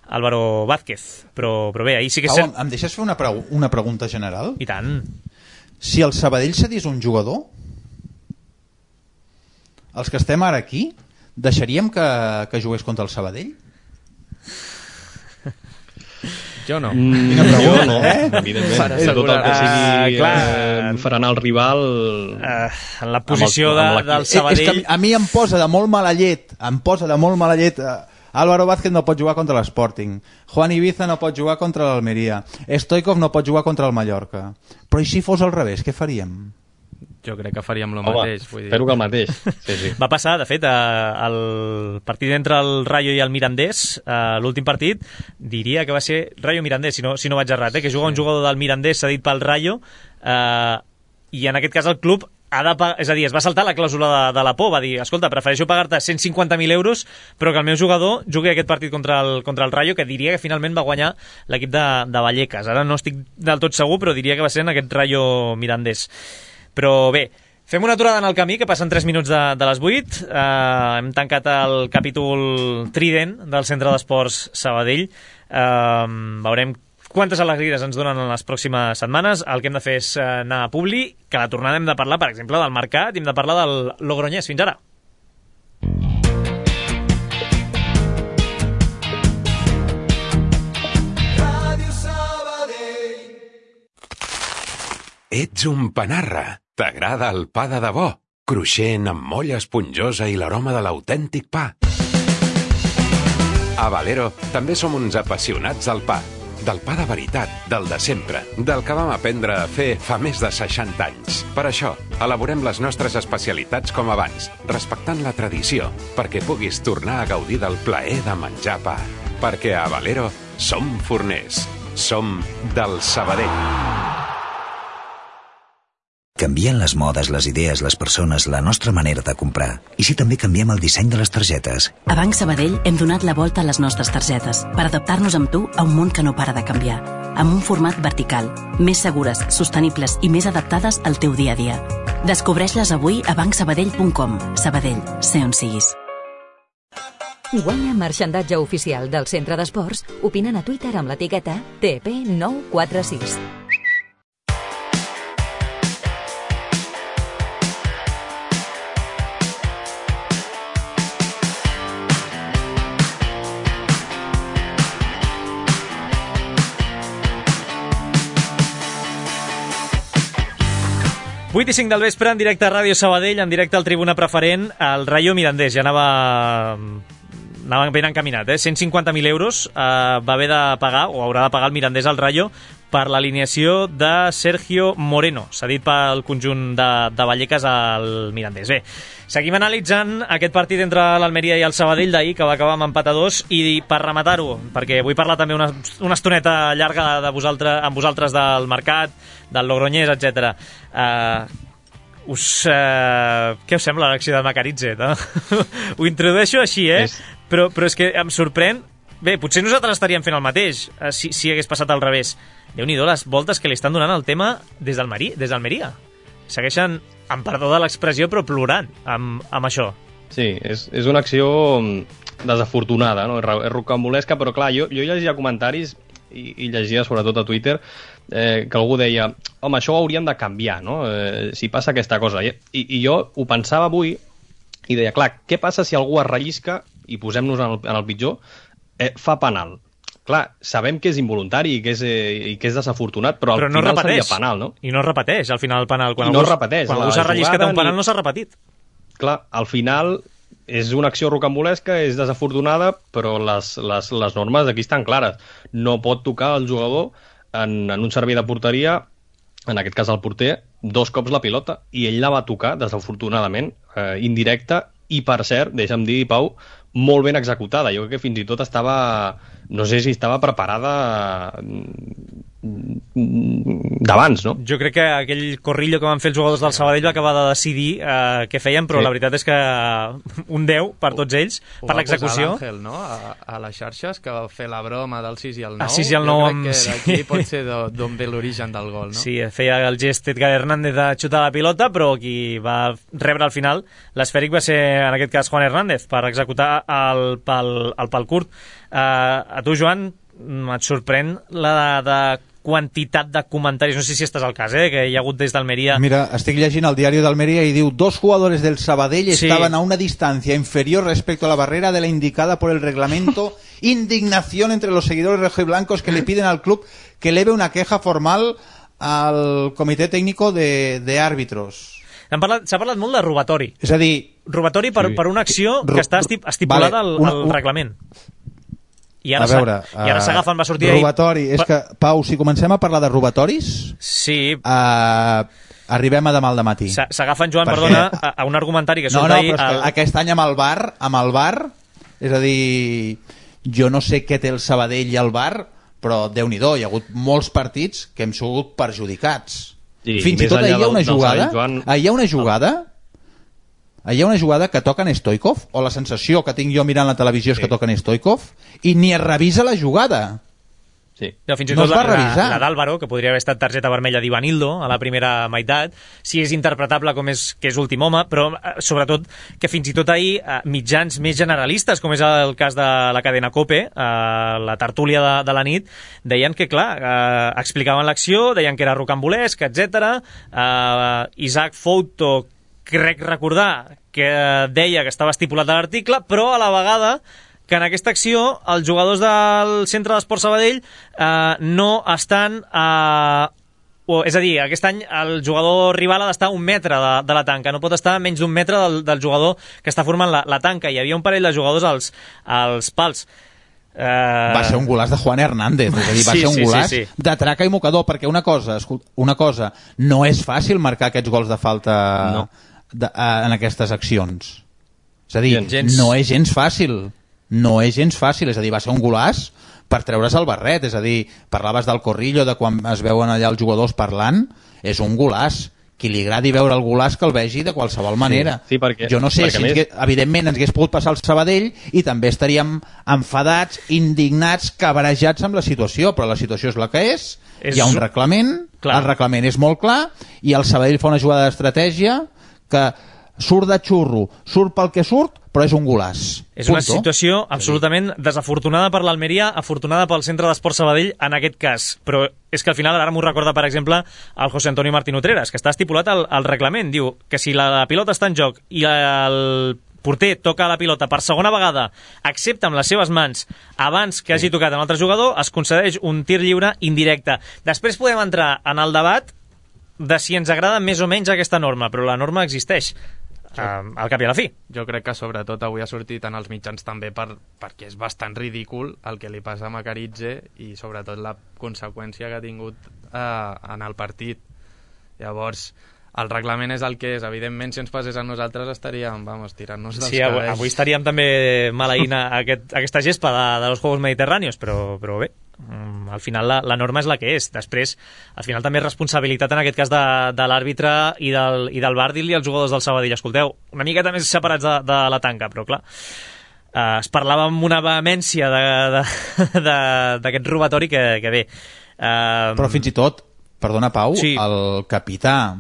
Álvaro Vázquez. Però, però bé, ahir sí que... Pau, em deixes fer una, pregu una pregunta general? I tant. Si el Sabadell cedís un jugador, els que estem ara aquí, deixaríem que, que jugués contra el Sabadell? Jo no. Mm, Quina pregunta, no, eh? Evidentment. És tot el que sigui uh, clar, eh, frenar el rival... Uh, en la posició el, de, del Sabadell... És que a mi em posa de molt mala llet, em posa de molt mala llet... Uh, Álvaro Vázquez no pot jugar contra l'Sporting. Juan Ibiza no pot jugar contra l'Almeria. Stoichkov no pot jugar contra el Mallorca. Però i si fos al revés, què faríem? Jo crec que faríem el Home, mateix. Vull dir. Espero que el mateix. Sí, sí. Va passar, de fet, el partit entre el Rayo i el Mirandés, l'últim partit, diria que va ser Rayo-Mirandés, si no, si no vaig errat, eh? que juga un jugador del Mirandés cedit pel Rayo, eh, i en aquest cas el club ha de pagar, és a dir, es va saltar la clàusula de, de la por, va dir, escolta, prefereixo pagar-te cent cinquanta mil euros però que el meu jugador jugui aquest partit contra el, contra el Rayo, que diria que finalment va guanyar l'equip de, de Vallecas. Ara no estic del tot segur, però diria que va ser en aquest Rayo Mirandés. Però bé, fem una aturada en el camí, que passen tres minuts de, de les vuit. Uh, hem tancat el capítol Trident del Centre d'Esports Sabadell. Uh, veurem quantes alegries ens donen en les pròximes setmanes. El que hem de fer és anar a Publi, que a la tornada hem de parlar, per exemple, del Mercat, i hem de parlar del Logroñés. Fins ara. Ets un panarra. T'agrada el pa de debò, cruixent amb molla esponjosa i l'aroma de l'autèntic pa. A Valero també som uns apassionats del pa. Del pa de veritat, del de sempre, del que vam aprendre a fer fa més de seixanta anys. Per això, elaborem les nostres especialitats com abans, respectant la tradició, perquè puguis tornar a gaudir del plaer de menjar pa. Perquè a Valero som forners, som del Sabadell. Canvien les modes, les idees, les persones, la nostra manera de comprar. I si també canviem el disseny de les targetes? A Banc Sabadell hem donat la volta a les nostres targetes per adaptar-nos amb tu a un món que no para de canviar. Amb un format vertical, més segures, sostenibles i més adaptades al teu dia a dia. Descobreix-les avui a banc sabadell punt com. Sabadell, sé on siguis. Guanya marxandatge oficial del Centre d'Esports opinant a Twitter amb l'etiqueta T P nou quatre sis. vuit i cinc del vespre, en directe a Ràdio Sabadell, en directe al Tribuna Preferent, el Rayo Mirandés. Ja anava, anava ben encaminat, eh? cent cinquanta mil euros eh, va haver de pagar, o haurà de pagar el Mirandés al Rayo, per l'alineació de Sergio Moreno, cedit pel conjunt de, de Vallecas al Mirandés. Bé, seguim analitzant aquest partit entre l'Almeria i el Sabadell d'ahir, que va acabar amb empat a dos, i per rematar-ho, perquè vull parlar també una, una estoneta llarga de vosaltres, amb vosaltres del mercat, del Logroñés, etcètera. Uh, us, uh, què us sembla l'acció de Macaritze? No? Ho introdueixo així, eh? És... Però, però és que em sorprèn. Bé, potser nosaltres estaríem fent el mateix uh, si, si hagués passat al revés. Déu-n'hi-do les voltes que li estan donant al tema des d'Almeria. Segueixen, amb perdó de l'expressió, però plorant amb, amb això. Sí, és, és una acció desafortunada, no? És rocambolesca, però clar, jo, jo llegia comentaris i, i llegia sobretot a Twitter eh, que algú deia, home, això ho hauríem de canviar, no? Eh, si passa aquesta cosa. I, i jo ho pensava avui i deia, clar, què passa si algú es rellisca, i posem-nos en el, en el pitjor, eh, fa penal? Clar, sabem que és involuntari i que és, eh, i que és desafortunat, però al però no final repeteix. seria penal, no? I no es repeteix, al final, el penal. Quan I algú, no es repeteix. Quan algú s'ha relliscat un penal, ni... no s'ha repetit. Clar, al final és una acció rocambolesca, és desafortunada, però les, les, les normes aquí estan clares. No pot tocar el jugador en, en un servei de porteria, en aquest cas el porter, dos cops la pilota, i ell la va tocar, desafortunadament, eh, indirecta, i per cert, deixa'm dir, Pau, molt ben executada. Jo crec que fins i tot estava, no sé si estava preparada d'abans, no? Jo crec que aquell corrillo que van fer els jugadors del Sabadell va acabar de decidir eh, què feien, però sí. La veritat és que un deu per tots ells, ho per l'execució. Ho va posar l'Àngel, no?, a, a les xarxes, que va fer la broma del sis i el nou. El sis i el nou jo amb... crec que d'aquí sí. Pot ser d'on ve l'origen del gol, no? Sí, feia el gest Edgar Hernández de xutar la pilota, però qui va rebre al final l'esfèric va ser, en aquest cas, Juan Hernández, per executar el pal, el pal curt. Uh, a tu, Joan, et sorprèn la de, de quantitat de comentaris, no sé si estàs al cas, eh, que hi ha hagut des d'Almeria. Mira, estic llegint el diari d'Almeria i diu: dos jugadores del Sabadell sí. Estaban a una distancia inferior respecto a la barrera de la indicada por el reglamento. Indignación entre los seguidores rojiblancos que le piden al club que eleve una queja formal al comitè tècnico de, de árbitros. S'ha parlat, parlat molt de robatori. És a dir... Robatori per, sí. per una acció que està estipulada vale, una, al, al reglament. I ara, a veure, i ara s'agafen, va sortir robatori, ahir... és que, Pau, si comencem a parlar de robatoris, sí. uh, arribem a demà al dematí. S'agafen, Joan, perquè... perdona, a, a un argumentari que surt no, no, ahir... Però el... aquest any amb el bar, amb el bar, és a dir, jo no sé què té el Sabadell i el bar, però Déu-n'hi-do, hi ha hagut molts partits que hem sigut perjudicats. Sí, fins i tot ahir hi ha una jugada, Joan... ahir hi ha una jugada... Hi ha una jugada que toquen Stoikov, o la sensació que tinc jo mirant la televisió és sí. Que toquen Stoikov, i ni es revisa la jugada. Sí. No, fins i tot no la, la, la d'Àlvaro, que podria haver estat targeta vermella d'Ivanildo a la primera meitat, si és interpretable com és, que és últim home, però eh, sobretot que fins i tot ahir eh, mitjans més generalistes, com és el cas de la cadena COPE, eh, la tertúlia de, de la nit, deien que, clar, eh, explicaven l'acció, deien que era rocambolesc, etcètera. Eh, Isaac Fouto, crec recordar que deia que estava estipulat a l'article, però a la vegada que en aquesta acció els jugadors del Centre d'Esports Sabadell eh, no estan a... O, és a dir, aquest any el jugador rival ha d'estar a un metre de, de la tanca, no pot estar a menys d'un metre del, del jugador que està formant la, la tanca. Hi havia un parell de jugadors als, als pals. Uh... Va ser un golaç de Juan Hernández, és a dir, va sí, ser un sí, golaç sí, sí. de traca i mocador, perquè una cosa, una cosa, no és fàcil marcar aquests gols de falta no. de, uh, en aquestes accions. És a dir, gens. no és gens fàcil, no és gens fàcil, és a dir, va ser un golaç per treure's el barret, és a dir, parlaves del corrillo, de quan es veuen allà els jugadors parlant, és un golaç, qui li agradi veure el golaç que el vegi de qualsevol manera. Sí, sí, perquè, jo no sé si, més... evidentment, ens hagués pogut passar el Sabadell i també estaríem enfadats, indignats, cabrejats amb la situació, però la situació és la que és, és... hi ha un reglament, clar. El reglament és molt clar, i el Sabadell fa una jugada d'estratègia que surt de xurro, surt pel que surt, però és un golaç. És una situació absolutament desafortunada per l'Almeria, afortunada pel Centre d'Esport Sabadell en aquest cas, però és que al final ara m'ho recorda, per exemple, el José Antonio Martín Utreras, que està estipulat al, al reglament, diu que si la, la pilota està en joc i el porter toca la pilota per segona vegada, excepte amb les seves mans, abans que hagi tocat un altre jugador, es concedeix un tir lliure indirecte. Després podem entrar en el debat de si ens agrada més o menys aquesta norma, però la norma existeix. Uh, al cap i a la fi. Jo crec que sobretot avui ha sortit en els mitjans també per, perquè és bastant ridícul el que li passa a Macaritze i sobretot la conseqüència que ha tingut uh, en el partit. Llavors, el reglament és el que és. Evidentment, si ens passés a nosaltres estaríem, vamos, tirant-nos dels sí, cabells. Sí, avui estaríem també maleint aquest, aquesta gespa de, de los Juegos Mediterráneos, però, però bé, al final la, la norma és la que és. Després, al final també és responsabilitat en aquest cas de, de l'àrbitre i del, i del V A R dir-li als jugadors del Sabadell, escolteu, una miqueta més separats de, de la tanca, però clar, eh, es parlava amb una vehemència d'aquest robatori que, que bé. Eh, però fins i tot, perdona Pau, sí. El capità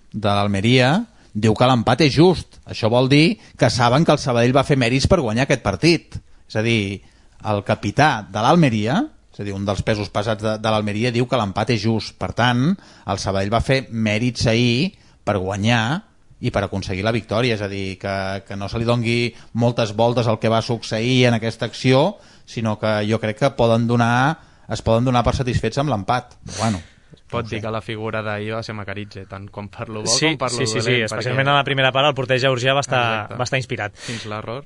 de l'Almeria diu que l'empat és just. Això vol dir que saben que el Sabadell va fer mèrits per guanyar aquest partit. És a dir, el capità de l'Almeria, és a dir, un dels pesos pesats de, de l'Almeria, diu que l'empat és just. Per tant, el Sabadell va fer mèrits ahir per guanyar i per aconseguir la victòria. És a dir, que, que no se li dongui moltes voltes al que va succeir en aquesta acció, sinó que jo crec que poden donar, es poden donar per satisfets amb l'empat. Bueno, pot dir que la figura d'ahir va ser Macaritze, tant com per lo bo sí, com per lo sí, sí, dolent. Sí, sí, especialment perquè... a la primera part el porter georgià va estar, va estar inspirat. Fins l'error.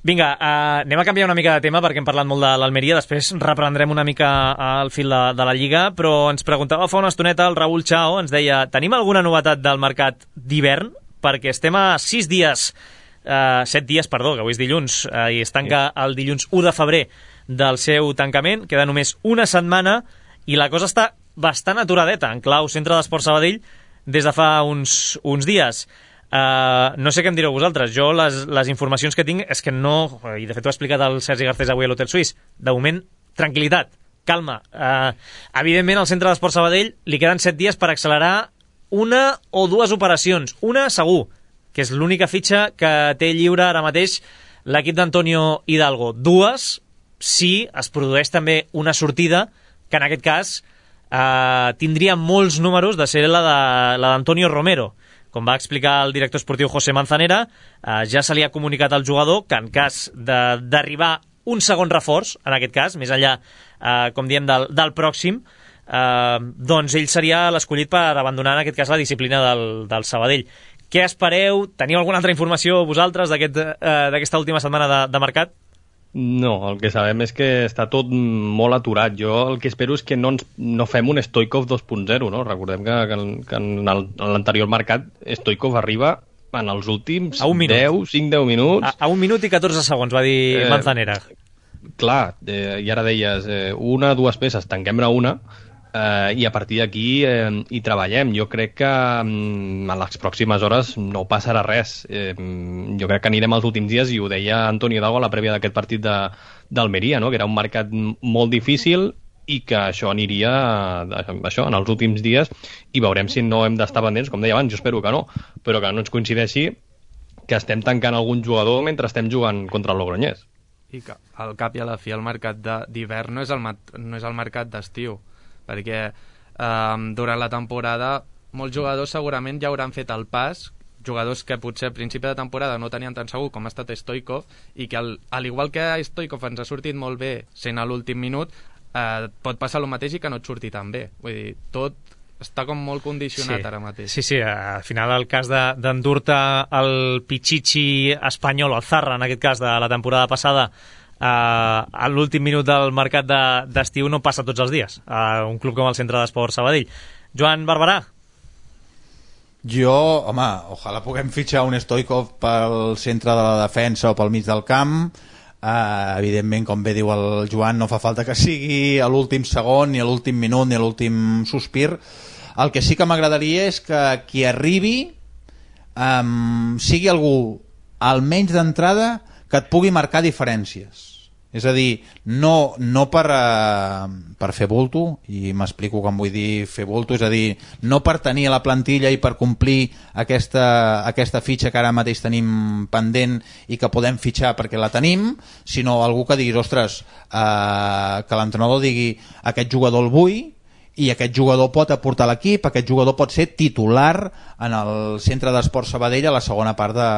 Vinga, uh, anem a canviar una mica de tema perquè hem parlat molt de l'Almeria, després reprendrem una mica al fil de, de la Lliga, però ens preguntava fa una estoneta el Raúl Chao, ens deia, tenim alguna novetat del mercat d'hivern? Perquè estem a sis dies, uh, set dies, perdó, que avui és dilluns, uh, i es tanca el dilluns u de febrer del seu tancament, queda només una setmana i la cosa està bastant aturadeta en clau Centre d'Esport Sabadell des de fa uns, uns dies. Uh, no sé què em direu vosaltres. Jo les, les informacions que tinc és que no, i de fet ho ha explicat el Sergi Garcés avui a l'Hotel Suís, de moment, tranquil·litat, calma. Uh, evidentment al Centre d'Esport Sabadell li queden set dies per accelerar una o dues operacions. Una segur, que és l'única fitxa que té lliure ara mateix l'equip d'Antonio Hidalgo. Dues, si es produeix també una sortida que en aquest cas eh, tindria molts números de ser la de la d'Antonio Romero. Com va explicar el director esportiu José Manzanera, eh, ja se li ha comunicat al jugador que en cas d'arribar un segon reforç, en aquest cas, més enllà, eh, com diem, del, del pròxim, eh, doncs ell seria l'escollit per abandonar, en aquest cas, la disciplina del, del Sabadell. Què espereu? Teniu alguna altra informació vosaltres d'aquesta aquest, eh, última setmana de, de mercat? No, el que sabem és que està tot molt aturat. Jo el que espero és que no, ens, no fem un Stoikov dos punt zero, no? Recordem que, que, que en l'anterior mercat Stoikov arriba en els últims deu, cinc deu minuts. A, a un minut i catorze segons, va dir eh, Manzanera. Clar, eh, i ara deies, eh, una, dues peces, tanquem-ne una, eh, i a partir d'aquí eh, hi treballem. Jo crec que mm, en les pròximes hores no passarà res. Eh, jo crec que anirem als últims dies, i ho deia Antonio Hidalgo a la prèvia d'aquest partit d'Almeria, no? Que era un mercat molt difícil i que això aniria això en els últims dies, i veurem si no hem d'estar pendents, com deia abans, jo espero que no, però que no ens coincideixi que estem tancant algun jugador mentre estem jugant contra el Logroñés. I que al cap i a la fi el mercat d'hivern no és el, no és el mercat d'estiu, perquè eh, durant la temporada molts jugadors segurament ja hauran fet el pas, jugadors que potser a principi de temporada no tenien tan segur com ha estat Stoikov, i que al, al igual que Stoikov ens ha sortit molt bé sent a l'últim minut, eh, pot passar el mateix i que no et surti tan bé. Vull dir, tot està com molt condicionat, sí, ara mateix. Sí, sí, al final el cas d'endur-te el Pichichi espanyol, el Zarra, en aquest cas, de la temporada passada, eh, a l'últim minut del mercat d'estiu de, no passa tots els dies a un club com el Centre d'Esport Sabadell. Joan Barberà? Jo, home, ojalà puguem fitxar un Stoikov pel centre de la defensa o pel mig del camp. Uh, evidentment, com bé diu el Joan, no fa falta que sigui a l'últim segon, ni a l'últim minut, ni a l'últim sospir. El que sí que m'agradaria és que qui arribi um, sigui algú, almenys d'entrada, que et pugui marcar diferències. És a dir, no, no per, uh, per fer bulto, i m'explico com vull dir fer bulto, és a dir, no per tenir a la plantilla i per complir aquesta, aquesta fitxa que ara mateix tenim pendent i que podem fitxar perquè la tenim, sinó algú que diguis, ostres, uh, que l'entrenador digui aquest jugador el vull, i aquest jugador pot aportar a l'equip, aquest jugador pot ser titular en el Centre d'Esport Sabadell a la segona part de,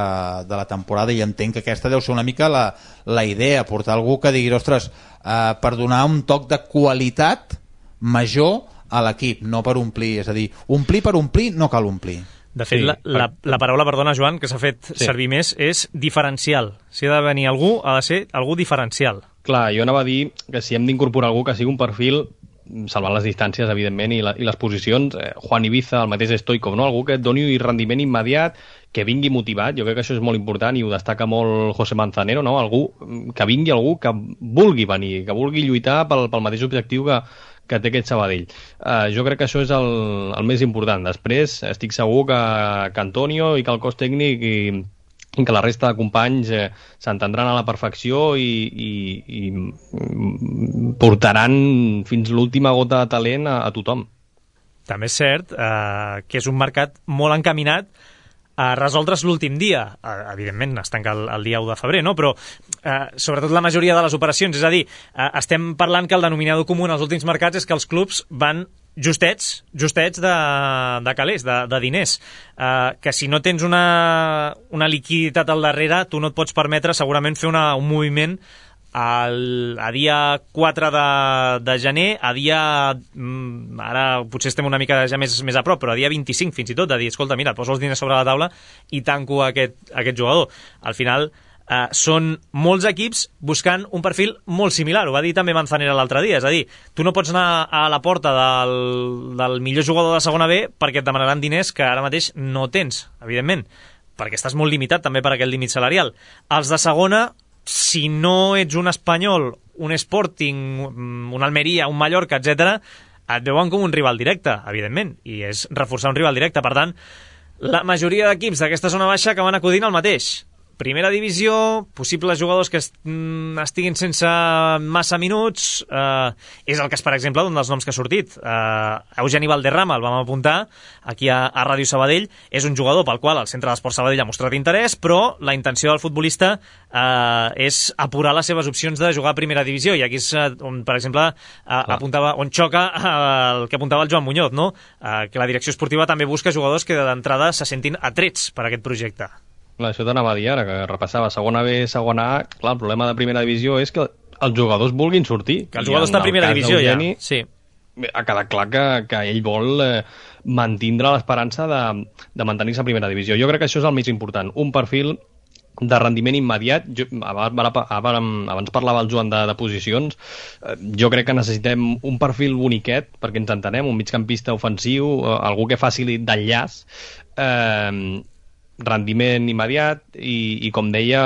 de la temporada, i entenc que aquesta deu ser una mica la, la idea, portar algú que digui, ostres, eh, per donar un toc de qualitat major a l'equip, no per omplir, és a dir, omplir per omplir no cal omplir. De fet, sí, la, la, la paraula, perdona, Joan, que s'ha fet sí. servir més és diferencial. Si ha de venir algú, ha de ser algú diferencial. Clar, jo anava a dir que si hem d'incorporar algú que sigui un perfil salvant les distàncies, evidentment, i, la, i les posicions, eh, Juan Ibiza, el mateix Stoikov, no? Algú que et doni rendiment immediat, que vingui motivat, jo crec que això és molt important i ho destaca molt José Manzanero, no? Algú, que vingui algú que vulgui venir, que vulgui lluitar pel, pel mateix objectiu que, que té aquest Sabadell. Uh, jo crec que això és el, el més important. Després, estic segur que, que Antonio i que el cos tècnic i que la resta de companys eh, s'entendran a la perfecció i, i, i portaran fins l'última gota de talent a, a tothom. També és cert eh, que és un mercat molt encaminat a resoldre's l'últim dia. Eh, evidentment, es tanca el, el dia u de febrer, no? Però eh, sobretot la majoria de les operacions, és a dir, eh, estem parlant que el denominador comú en els últims mercats és que els clubs van justets, justets de, de calés, de, de diners, uh, que si no tens una, una liquiditat al darrere, tu no et pots permetre segurament fer una, un moviment al, a dia quatre de, de gener, a dia, mm, ara potser estem una mica ja més, més a prop, però a dia vint-i-cinc fins i tot, de dir, escolta, mira, poso els diners sobre la taula i tanco aquest, aquest jugador. Al final, Uh, són molts equips buscant un perfil molt similar, ho va dir també Manzanera l'altre dia, és a dir, tu no pots anar a la porta del, del millor jugador de segona B perquè et demanaran diners que ara mateix no tens, evidentment, perquè estàs molt limitat també per aquest límit salarial. Els de segona, si no ets un Espanyol, un Sporting, un Almeria, un Mallorca, etcètera, et veuen com un rival directe, evidentment, i és reforçar un rival directe. Per tant, la majoria d'equips d'aquesta zona baixa acaben acudint al mateix. Primera divisió, possibles jugadors que estiguin sense massa minuts, eh, és el cas, per exemple, d'un dels noms que ha sortit. Eh, Eugeni Valderrama, el vam apuntar aquí a, a Ràdio Sabadell, és un jugador pel qual el Centre d'Esport Sabadell ha mostrat interès, però la intenció del futbolista eh, és apurar les seves opcions de jugar a primera divisió, i aquí és on, per exemple, eh, apuntava, on xoca eh, el que apuntava el Joan Muñoz, no? Eh, que la direcció esportiva també busca jugadors que d'entrada se sentin atrets per aquest projecte. Clar, això t'anava a dir ara, que repassava segona B, segona A. Clar, el problema de primera divisió és que els jugadors vulguin sortir. Que el jugador està a primera divisió, Eugeni, ja. Sí. Ha quedat clar que, que ell vol eh, mantindre l'esperança de, de mantenir-se a primera divisió. Jo crec que això és el més important. Un perfil de rendiment immediat. Jo, abans parlava el Joan de, de posicions. Eh, jo crec que necessitem un perfil boniquet, perquè ens entenem, un migcampista ofensiu, eh, algú que faci d'enllaç, eh, rendiment immediat i, i com deia,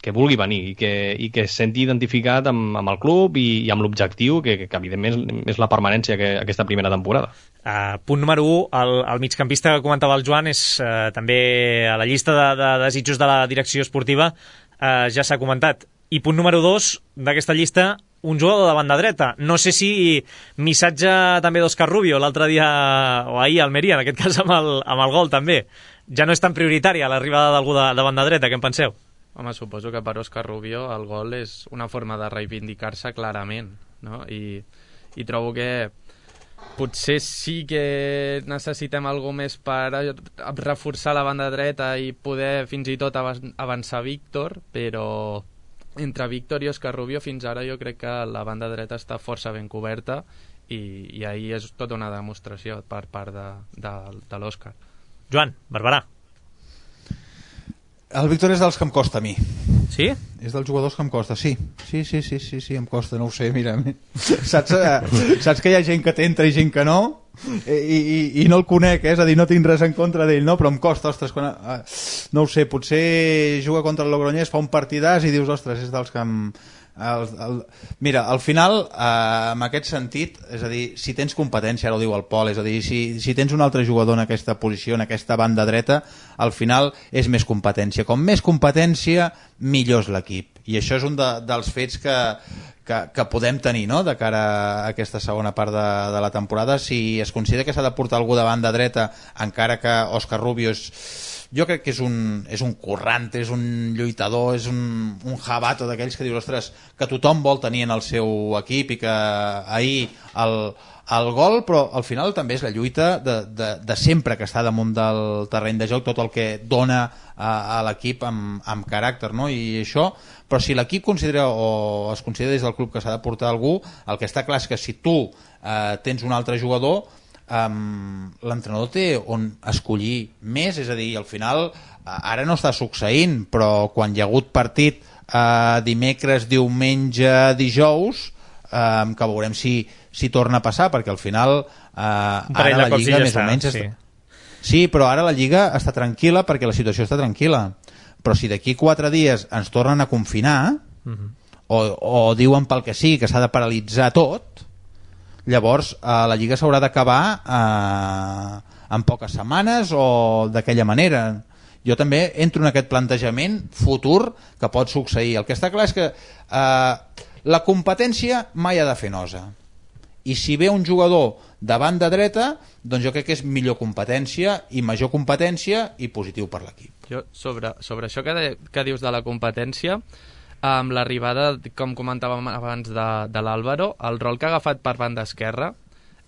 que vulgui venir i que, i que es senti identificat amb, amb el club i, i amb l'objectiu que, que evidentment és la permanència que, aquesta primera temporada. Uh, punt número u, el, el migcampista que comentava el Joan és uh, també a la llista de, de desitjos de la direcció esportiva, uh, ja s'ha comentat. I punt número dos d'aquesta llista, un jugador de banda dreta. No sé si missatge també d'Òscar Rubio l'altre dia, o ahir a Almeria, en aquest cas amb el, amb el gol també. Ja no és tan prioritària l'arribada d'algú de, de banda dreta, què en penseu? Home, suposo que per Òscar Rubio el gol és una forma de reivindicar-se clarament, no? I, i trobo que potser sí que necessitem alguna més per reforçar la banda dreta i poder fins i tot avançar Víctor, però entre Víctor i Òscar Rubio fins ara jo crec que la banda dreta està força ben coberta i, i ahir és tota una demostració per part de, de, de l'Òscar. Joan, Barberà. El Víctor és dels que em costa a mi. Sí? És dels jugadors que em costa, sí. Sí, sí, sí, sí, sí, em costa, no ho sé, mira. Saps, saps que hi ha gent que t'entra i gent que no? I, i, i no el conec, eh? És a dir, no tinc res en contra d'ell, no? Però em costa, ostres, quan, no ho sé, potser juga contra el Logroñés, fa un partidàs i dius, ostres, és dels que em, El, el, mira, al final, eh, en aquest sentit, és a dir, si tens competència, ara ho diu el Pol, és a dir, si, si tens un altre jugador en aquesta posició, en aquesta banda dreta, al final és més competència. Com més competència, millor és l'equip. I això és un de, dels fets que, que, que podem tenir, no?, de cara a aquesta segona part de, de la temporada. Si es considera que s'ha de portar algú de banda dreta, encara que Òscar Rubio és... Jo crec que és un, és un currante, és un lluitador, és un, un jabato d'aquells que dius, ostres, que tothom vol tenir en el seu equip i que ahir el, el gol, però al final també és la lluita de, de, de sempre que està damunt del terreny de joc, tot el que dona a, a l'equip amb, amb caràcter, no? I això, però si l'equip considera o es considera des del club que s'ha de portar algú, el que està clar és que si tu eh, tens un altre jugador, Um, l'entrenador té on escollir més, és a dir, al final ara no està succeint, però quan hi ha hagut partit uh, dimecres, diumenge, dijous, um, que veurem si, si torna a passar, perquè al final uh, ara la Lliga més està, o menys sí. Està... sí, però ara la Lliga està tranquil·la perquè la situació està tranquil·la, però si d'aquí quatre dies ens tornen a confinar uh-huh. o, o diuen pel que sigui que s'ha de paralitzar tot, llavors eh, la Lliga s'haurà d'acabar eh, en poques setmanes o d'aquella manera. Jo també entro en aquest plantejament futur que pot succeir. El que està clar és que eh, la competència mai ha de fer nosa, i si ve un jugador de banda dreta, doncs jo crec que és millor competència i major competència i positiu per l'equip. Jo sobre, sobre això que, de, que dius de la competència, amb l'arribada, com comentàvem abans, de, de l'Àlvaro, el rol que ha agafat per banda esquerra,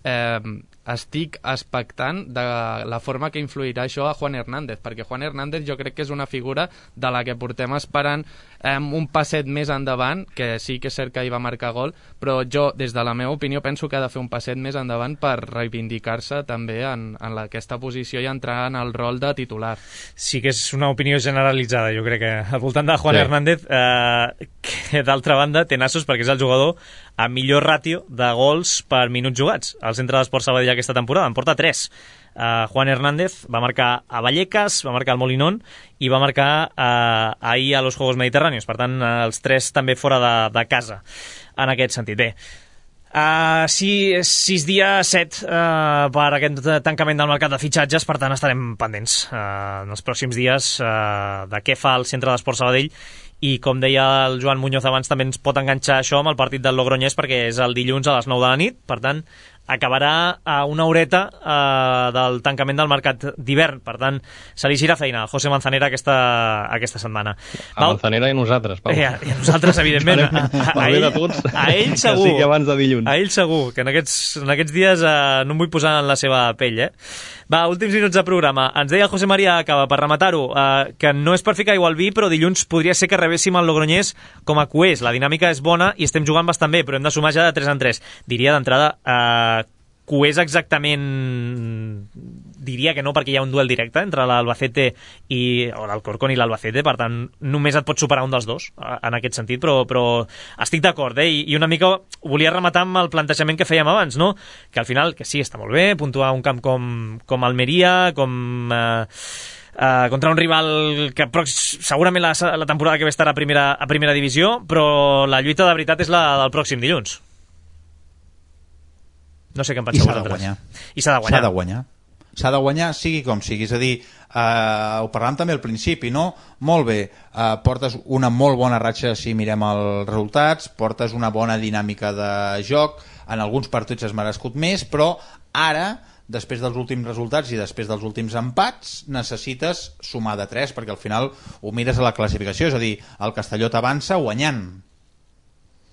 eh, estic expectant de la forma que influirà això a Juan Hernández, perquè Juan Hernández jo crec que és una figura de la que portem esperant eh, un passet més endavant, que sí que és cert que hi va marcar gol, però jo, des de la meva opinió, penso que ha de fer un passet més endavant per reivindicar-se també en, en la, aquesta posició i entrar en el rol de titular. Sí que és una opinió generalitzada, jo crec que al voltant de Juan sí. Hernández, eh, que d'altra banda té nassos perquè és el jugador amb millor ràtio de gols per minuts jugats al centre d'Esport Sabadell aquesta temporada, en porta tres. Uh, Juan Hernández va marcar a Vallecas, va marcar al Molinón i va marcar uh, ahir a los Juegos Mediterráneos, per tant uh, els tres també fora de, de casa en aquest sentit. Bé, uh, sis, sis dies, set uh, per aquest tancament del mercat de fitxatges, per tant estarem pendents uh, en els pròxims dies uh, de què fa el centre d'Esport Sabadell. I com deia el Joan Muñoz abans, també ens pot enganxar això amb el partit del Logroñés, perquè és el dilluns a les nou de la nit, per tant acabarà a una horeta eh, del tancament del mercat d'hivern, per tant se li gira feina a José Manzanera aquesta, aquesta setmana. A Val? Manzanera i nosaltres, Pau. I a, i a nosaltres, evidentment. A, a, a, ell, a ell segur. Que sigui abans de dilluns. A ell segur, que en aquests, en aquests dies eh, no em vull posar en la seva pell, eh? Va, últims minuts de programa. Ens deia José María Acaba, per rematar-ho, eh, que no és per ficar aigua al vi, però dilluns podria ser que rebéssim el Logroñés com a cués. La dinàmica és bona i estem jugant bastant bé, però hem de sumar ja de tres en tres. Diria d'entrada, eh, cués exactament... Diria que no, perquè hi ha un duel directe entre l'Albacete i, o l'Alcorcón i l'Albacete, per tant només et pot superar un dels dos en aquest sentit, però, però estic d'acord, eh? I, i una mica volia rematar amb el plantejament que fèiem abans, no? Que al final, que sí, està molt bé puntuar un camp com, com Almeria, com eh, eh, contra un rival que segurament la, la temporada que ve estarà a primera, a primera divisió, però la lluita de veritat és la del pròxim dilluns. No sé què en penseu vosaltres. I s'ha de guanyar. S'ha de guanyar. S'ha de guanyar, sigui com sigui. És a dir, eh, ho parlàvem també al principi, no? Molt bé, eh, portes una molt bona ratxa si mirem els resultats, portes una bona dinàmica de joc, en alguns partits has merescut més, però ara, després dels últims resultats i després dels últims empats, necessites sumar de tres, perquè al final ho mires a la classificació, és a dir, el Castelló t'avança guanyant.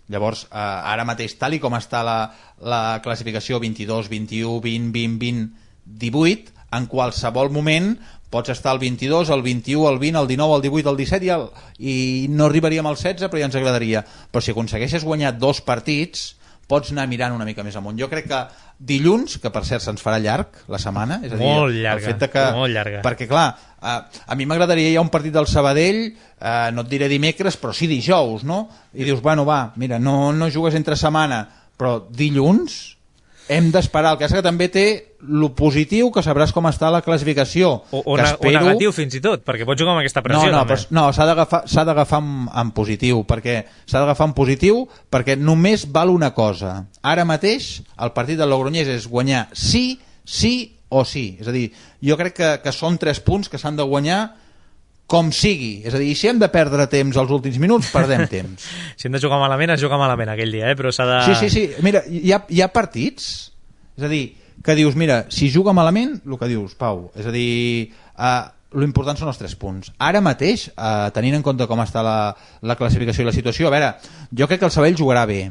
Llavors, eh, ara mateix, tal i com està la, la classificació vint-i-dos, vint-i-u, vint, vint, vint, divuit, en qualsevol moment pots estar al vint-i-dos, al vint-i-u, al vint, al dinou, al divuit, al disset i, el, i no arribaríem al setze, però ja ens agradaria. Però si aconsegueixes guanyar dos partits, pots anar mirant una mica més amunt. Jo crec que dilluns, que per cert se'ns farà llarg la setmana, és a dir, molt llarga, el fet de que, molt llarga. Perquè clar, eh, a mi m'agradaria ja un partit del Sabadell, eh, no et diré dimecres, però sí dijous, no? I dius, bueno, va, mira, no, no jugues entre setmana, però dilluns, hem d'esperar. El cas que també té lo positiu, que sabràs com està la classificació. O, o, que ne espero... o negatiu, fins i tot, perquè pots jugar amb aquesta pressió. No, no, també. però, no s'ha d'agafar s'ha d'agafar en, en positiu, perquè s'ha d'agafar en positiu perquè només val una cosa. Ara mateix el partit del Logroñés és guanyar sí, sí o sí. És a dir, jo crec que, que són tres punts que s'han de guanyar com sigui. És a dir, si hem de perdre temps als últims minuts, perdem temps. Si hem de jugar malament, es juga malament aquell dia, eh? Però s'ha de... Sí, sí, sí. Mira, hi ha, hi ha partits, és a dir, que dius, mira, si juga malament, el que dius, Pau, és a dir, eh, l'important són els tres punts. Ara mateix, eh, tenint en compte com està la, la classificació i la situació, a veure, jo crec que el Sabadell jugarà bé,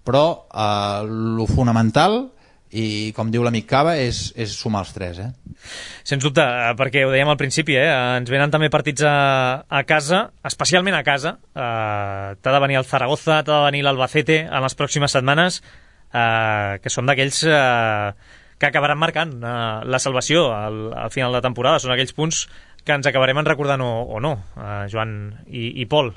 però eh, lo fonamental, i com diu l'amic Cava, és, és sumar els tres, eh? Sens dubte, perquè ho dèiem al principi, eh? Ens venen també partits a, a casa, especialment a casa. Eh, t'ha de venir el Zaragoza, t'ha de venir l'Albacete en les pròximes setmanes, eh, que són d'aquells eh, que acabaran marcant eh, la salvació al, al final de temporada. Són aquells punts que ens acabarem en recordant o, o no, eh, Joan i, i Pol.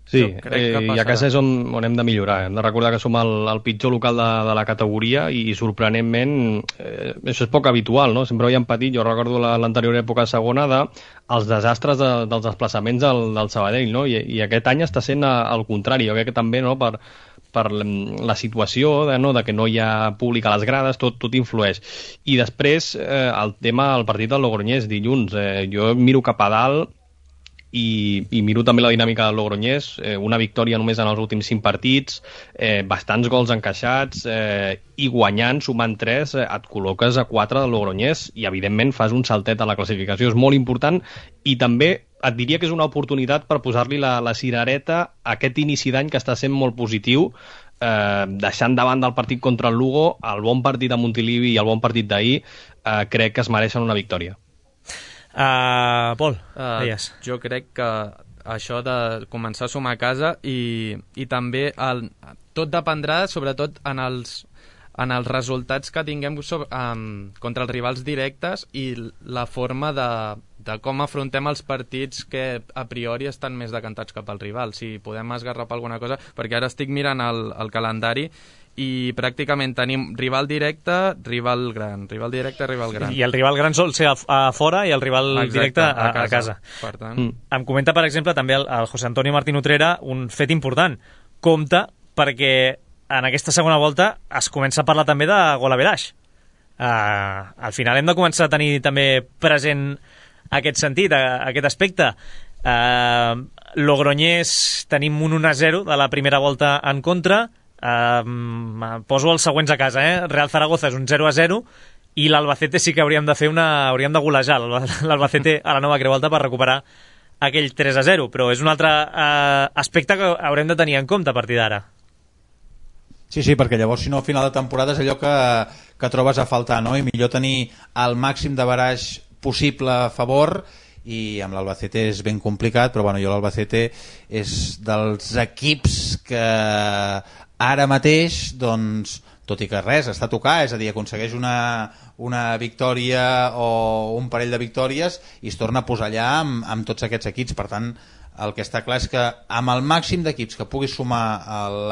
Sí, eh, i a casa és on, on hem de millorar. Hem de recordar que som el, el pitjor local de, de la categoria i, sorprenentment, eh, això és poc habitual, no? Sempre havíem patit, jo recordo l'anterior època segona, de els desastres de, dels desplaçaments del, del Sabadell, no? I, i aquest any està sent al contrari. Jo crec que també, no?, per, per la situació de, no, de que no hi ha públic a les grades, tot, tot influeix. I després, eh, el tema, el partit del Logroñés dilluns, eh, jo miro cap a dalt I, i miro també la dinàmica del Logroñés, eh, una victòria només en els últims cinc partits, eh, bastants gols encaixats, eh, i guanyant, sumant tres, eh, et col·loques a quatre del Logroñés i evidentment fas un saltet a la classificació. És molt important i també et diria que és una oportunitat per posar-li la, la cirereta a aquest inici d'any que està sent molt positiu, eh, deixant davant del partit contra el Lugo, el bon partit a Montilivi i el bon partit d'ahir, eh, crec que es mereixen una victòria. Uh, Pol, uh, deies. Jo crec que això de començar a sumar a casa i, i també el, tot dependrà sobretot en els, en els resultats que tinguem sobre, um, contra els rivals directes i la forma de, de com afrontem els partits que a priori estan més decantats cap al rival, si podem esgarrapar alguna cosa, perquè ara estic mirant el, el calendari i pràcticament tenim rival directe, rival gran, rival directe, rival gran. I el rival gran sol ser a, a fora i el rival Exacte, directe a, a casa. A casa. Per tant... Mm. Em comenta, per exemple, també el, el José Antonio Martín Utrera un fet important. Compte perquè en aquesta segona volta es comença a parlar també de gol average. Uh, al final hem de començar a tenir també present aquest sentit, a, aquest aspecte. Uh, Logroñés tenim un un a zero de la primera volta en contra. Uh, poso els següents a casa, eh? Real Zaragoza és un zero a zero i l'Albacete sí que hauríem de fer una... hauríem de golejar l'Albacete a la nova Creu Alta per recuperar aquell tres a zero, però és un altre uh, aspecte que haurem de tenir en compte a partir d'ara. Sí, sí, perquè llavors si no al final de temporada és allò que, que trobes a faltar, no? I millor tenir el màxim de baraix possible a favor, i amb l'Albacete és ben complicat, però bueno, jo l'Albacete és dels equips que ara mateix, doncs, tot i que res, està a tocar, és a dir, aconsegueix una, una victòria o un parell de victòries i es torna a posar allà amb, amb tots aquests equips. Per tant, el que està clar és que amb el màxim d'equips que puguis sumar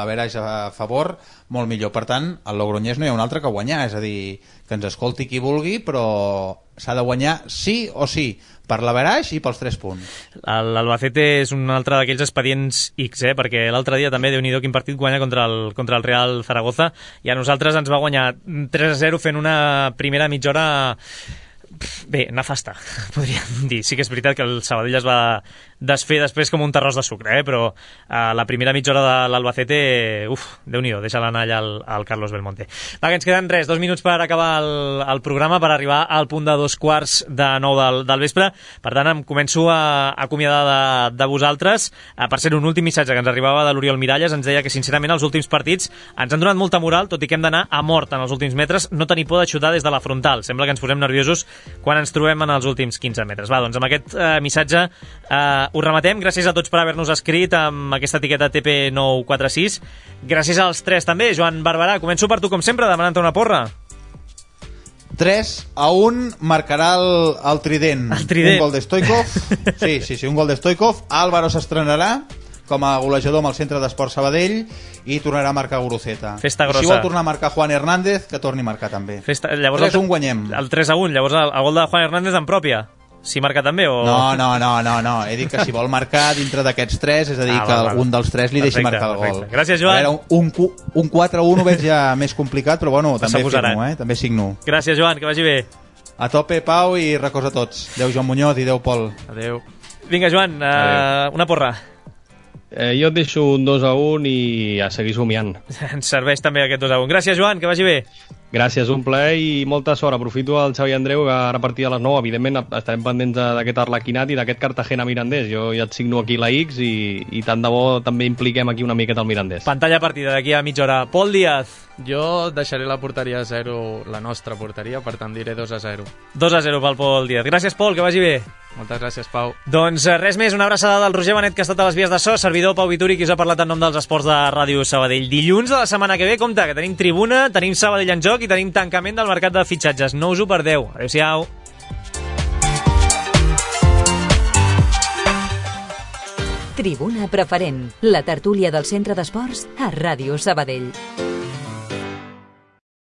l'average a favor, molt millor. Per tant, al Logroñés no hi ha un altre que guanyar, és a dir, que ens escolti qui vulgui, però s'ha de guanyar sí o sí, per l'average i pels tres punts. L'Albacete és un altre d'aquells expedients X, eh? Perquè l'altre dia també, Déu-n'hi-do, quin partit guanya contra el, contra el Real Zaragoza, i a nosaltres ens va guanyar tres a zero fent una primera mitja hora... Bé, nefasta, podríem dir. Sí que és veritat que el Sabadell es va desfer després com un terròs de sucre, eh? Però a la primera mitja hora de l'Albacete, uf, Déu-n'hi-do, deixa-la anar allà al, al Carlos Belmonte. Va, que ens queden res, dos minuts per acabar el, el programa, per arribar al punt de dos quarts de nou del, del vespre. Per tant, em començo a, a acomiadar de, de vosaltres. A, per ser un últim missatge que ens arribava de l'Oriol Miralles, ens deia que sincerament els últims partits ens han donat molta moral, tot i que hem d'anar a mort en els últims metres, no tenir por de xutar des de la frontal. Sembla que ens posem nerviosos quan ens trobem en els últims quinze metres. Va, doncs amb aquest eh, missatge eh, ho rematem. Gràcies a tots per haver-nos escrit amb aquesta etiqueta T P nou quatre sis. Gràcies als tres també. Joan Barberà, començo per tu com sempre, demanant-te una porra. tres a un marcarà el, el trident. El trident. Un gol de Stoikov. Sí, sí, sí, un gol de Stoikov. Álvaro s'estrenarà com a golejador amb el Centre d'Esport Sabadell i tornarà a marcar Guruceta. Festa grossa. I si vol tornar a marcar Juan Hernández, que torni a marcar també. Festa... Llavors tres a un guanyem. El tres a un, llavors el, el gol de Juan Hernández en pròpia. Si marca també o... No, no, no, no, no. He dit que si vol marcar dintre d'aquests tres, és a dir, ah, que algun dels tres li deixi perfecte, marcar el gol. Perfecte. Gràcies, Joan. A veure, un, un quatre a un ho veig ja més complicat, però bueno, també signo, eh? També signo. Gràcies, Joan, que vagi bé. A tope, Pau, i records a tots. Adéu, Joan Muñoz, i adéu, Pol. Adéu. Vinga, Joan, uh, una porra. Eh, jo et deixo un dos a un i a seguir somiant. Ens serveix també aquest dos a un. Gràcies, Joan, que vagi bé. Gràcies, un plaer i molta sort. Aprofito el Xavi Andreu, que ara a partir de les nou, evidentment, estarem pendents d'aquest Arlequinat i d'aquest Cartagena-Mirandés. Jo ja et signo aquí la X i, i tant de bo també impliquem aquí una miqueta el Mirandés. Pantalla partida d'aquí a mitja hora. Pol Díaz. Jo deixaré la porteria a zero, la nostra porteria, per tant diré dos a zero. dos a zero pel Pol Díaz. Gràcies, Pol, que vagi bé. Moltes gràcies, Pau. Doncs res més, una abraçada del Roger Benet, que ha estat a les vies de so, servidor Pau Vituri, qui us ha parlat en nom dels esports de Ràdio Sabadell. Dilluns de la setmana que ve, compte, que tenim tribuna, tenim Sabadell en joc i tenim tancament del mercat de fitxatges. No us ho perdeu. Adéu-siau. Tribuna Preferent, la tertúlia del Centre d'Esports a Ràdio Sabadell.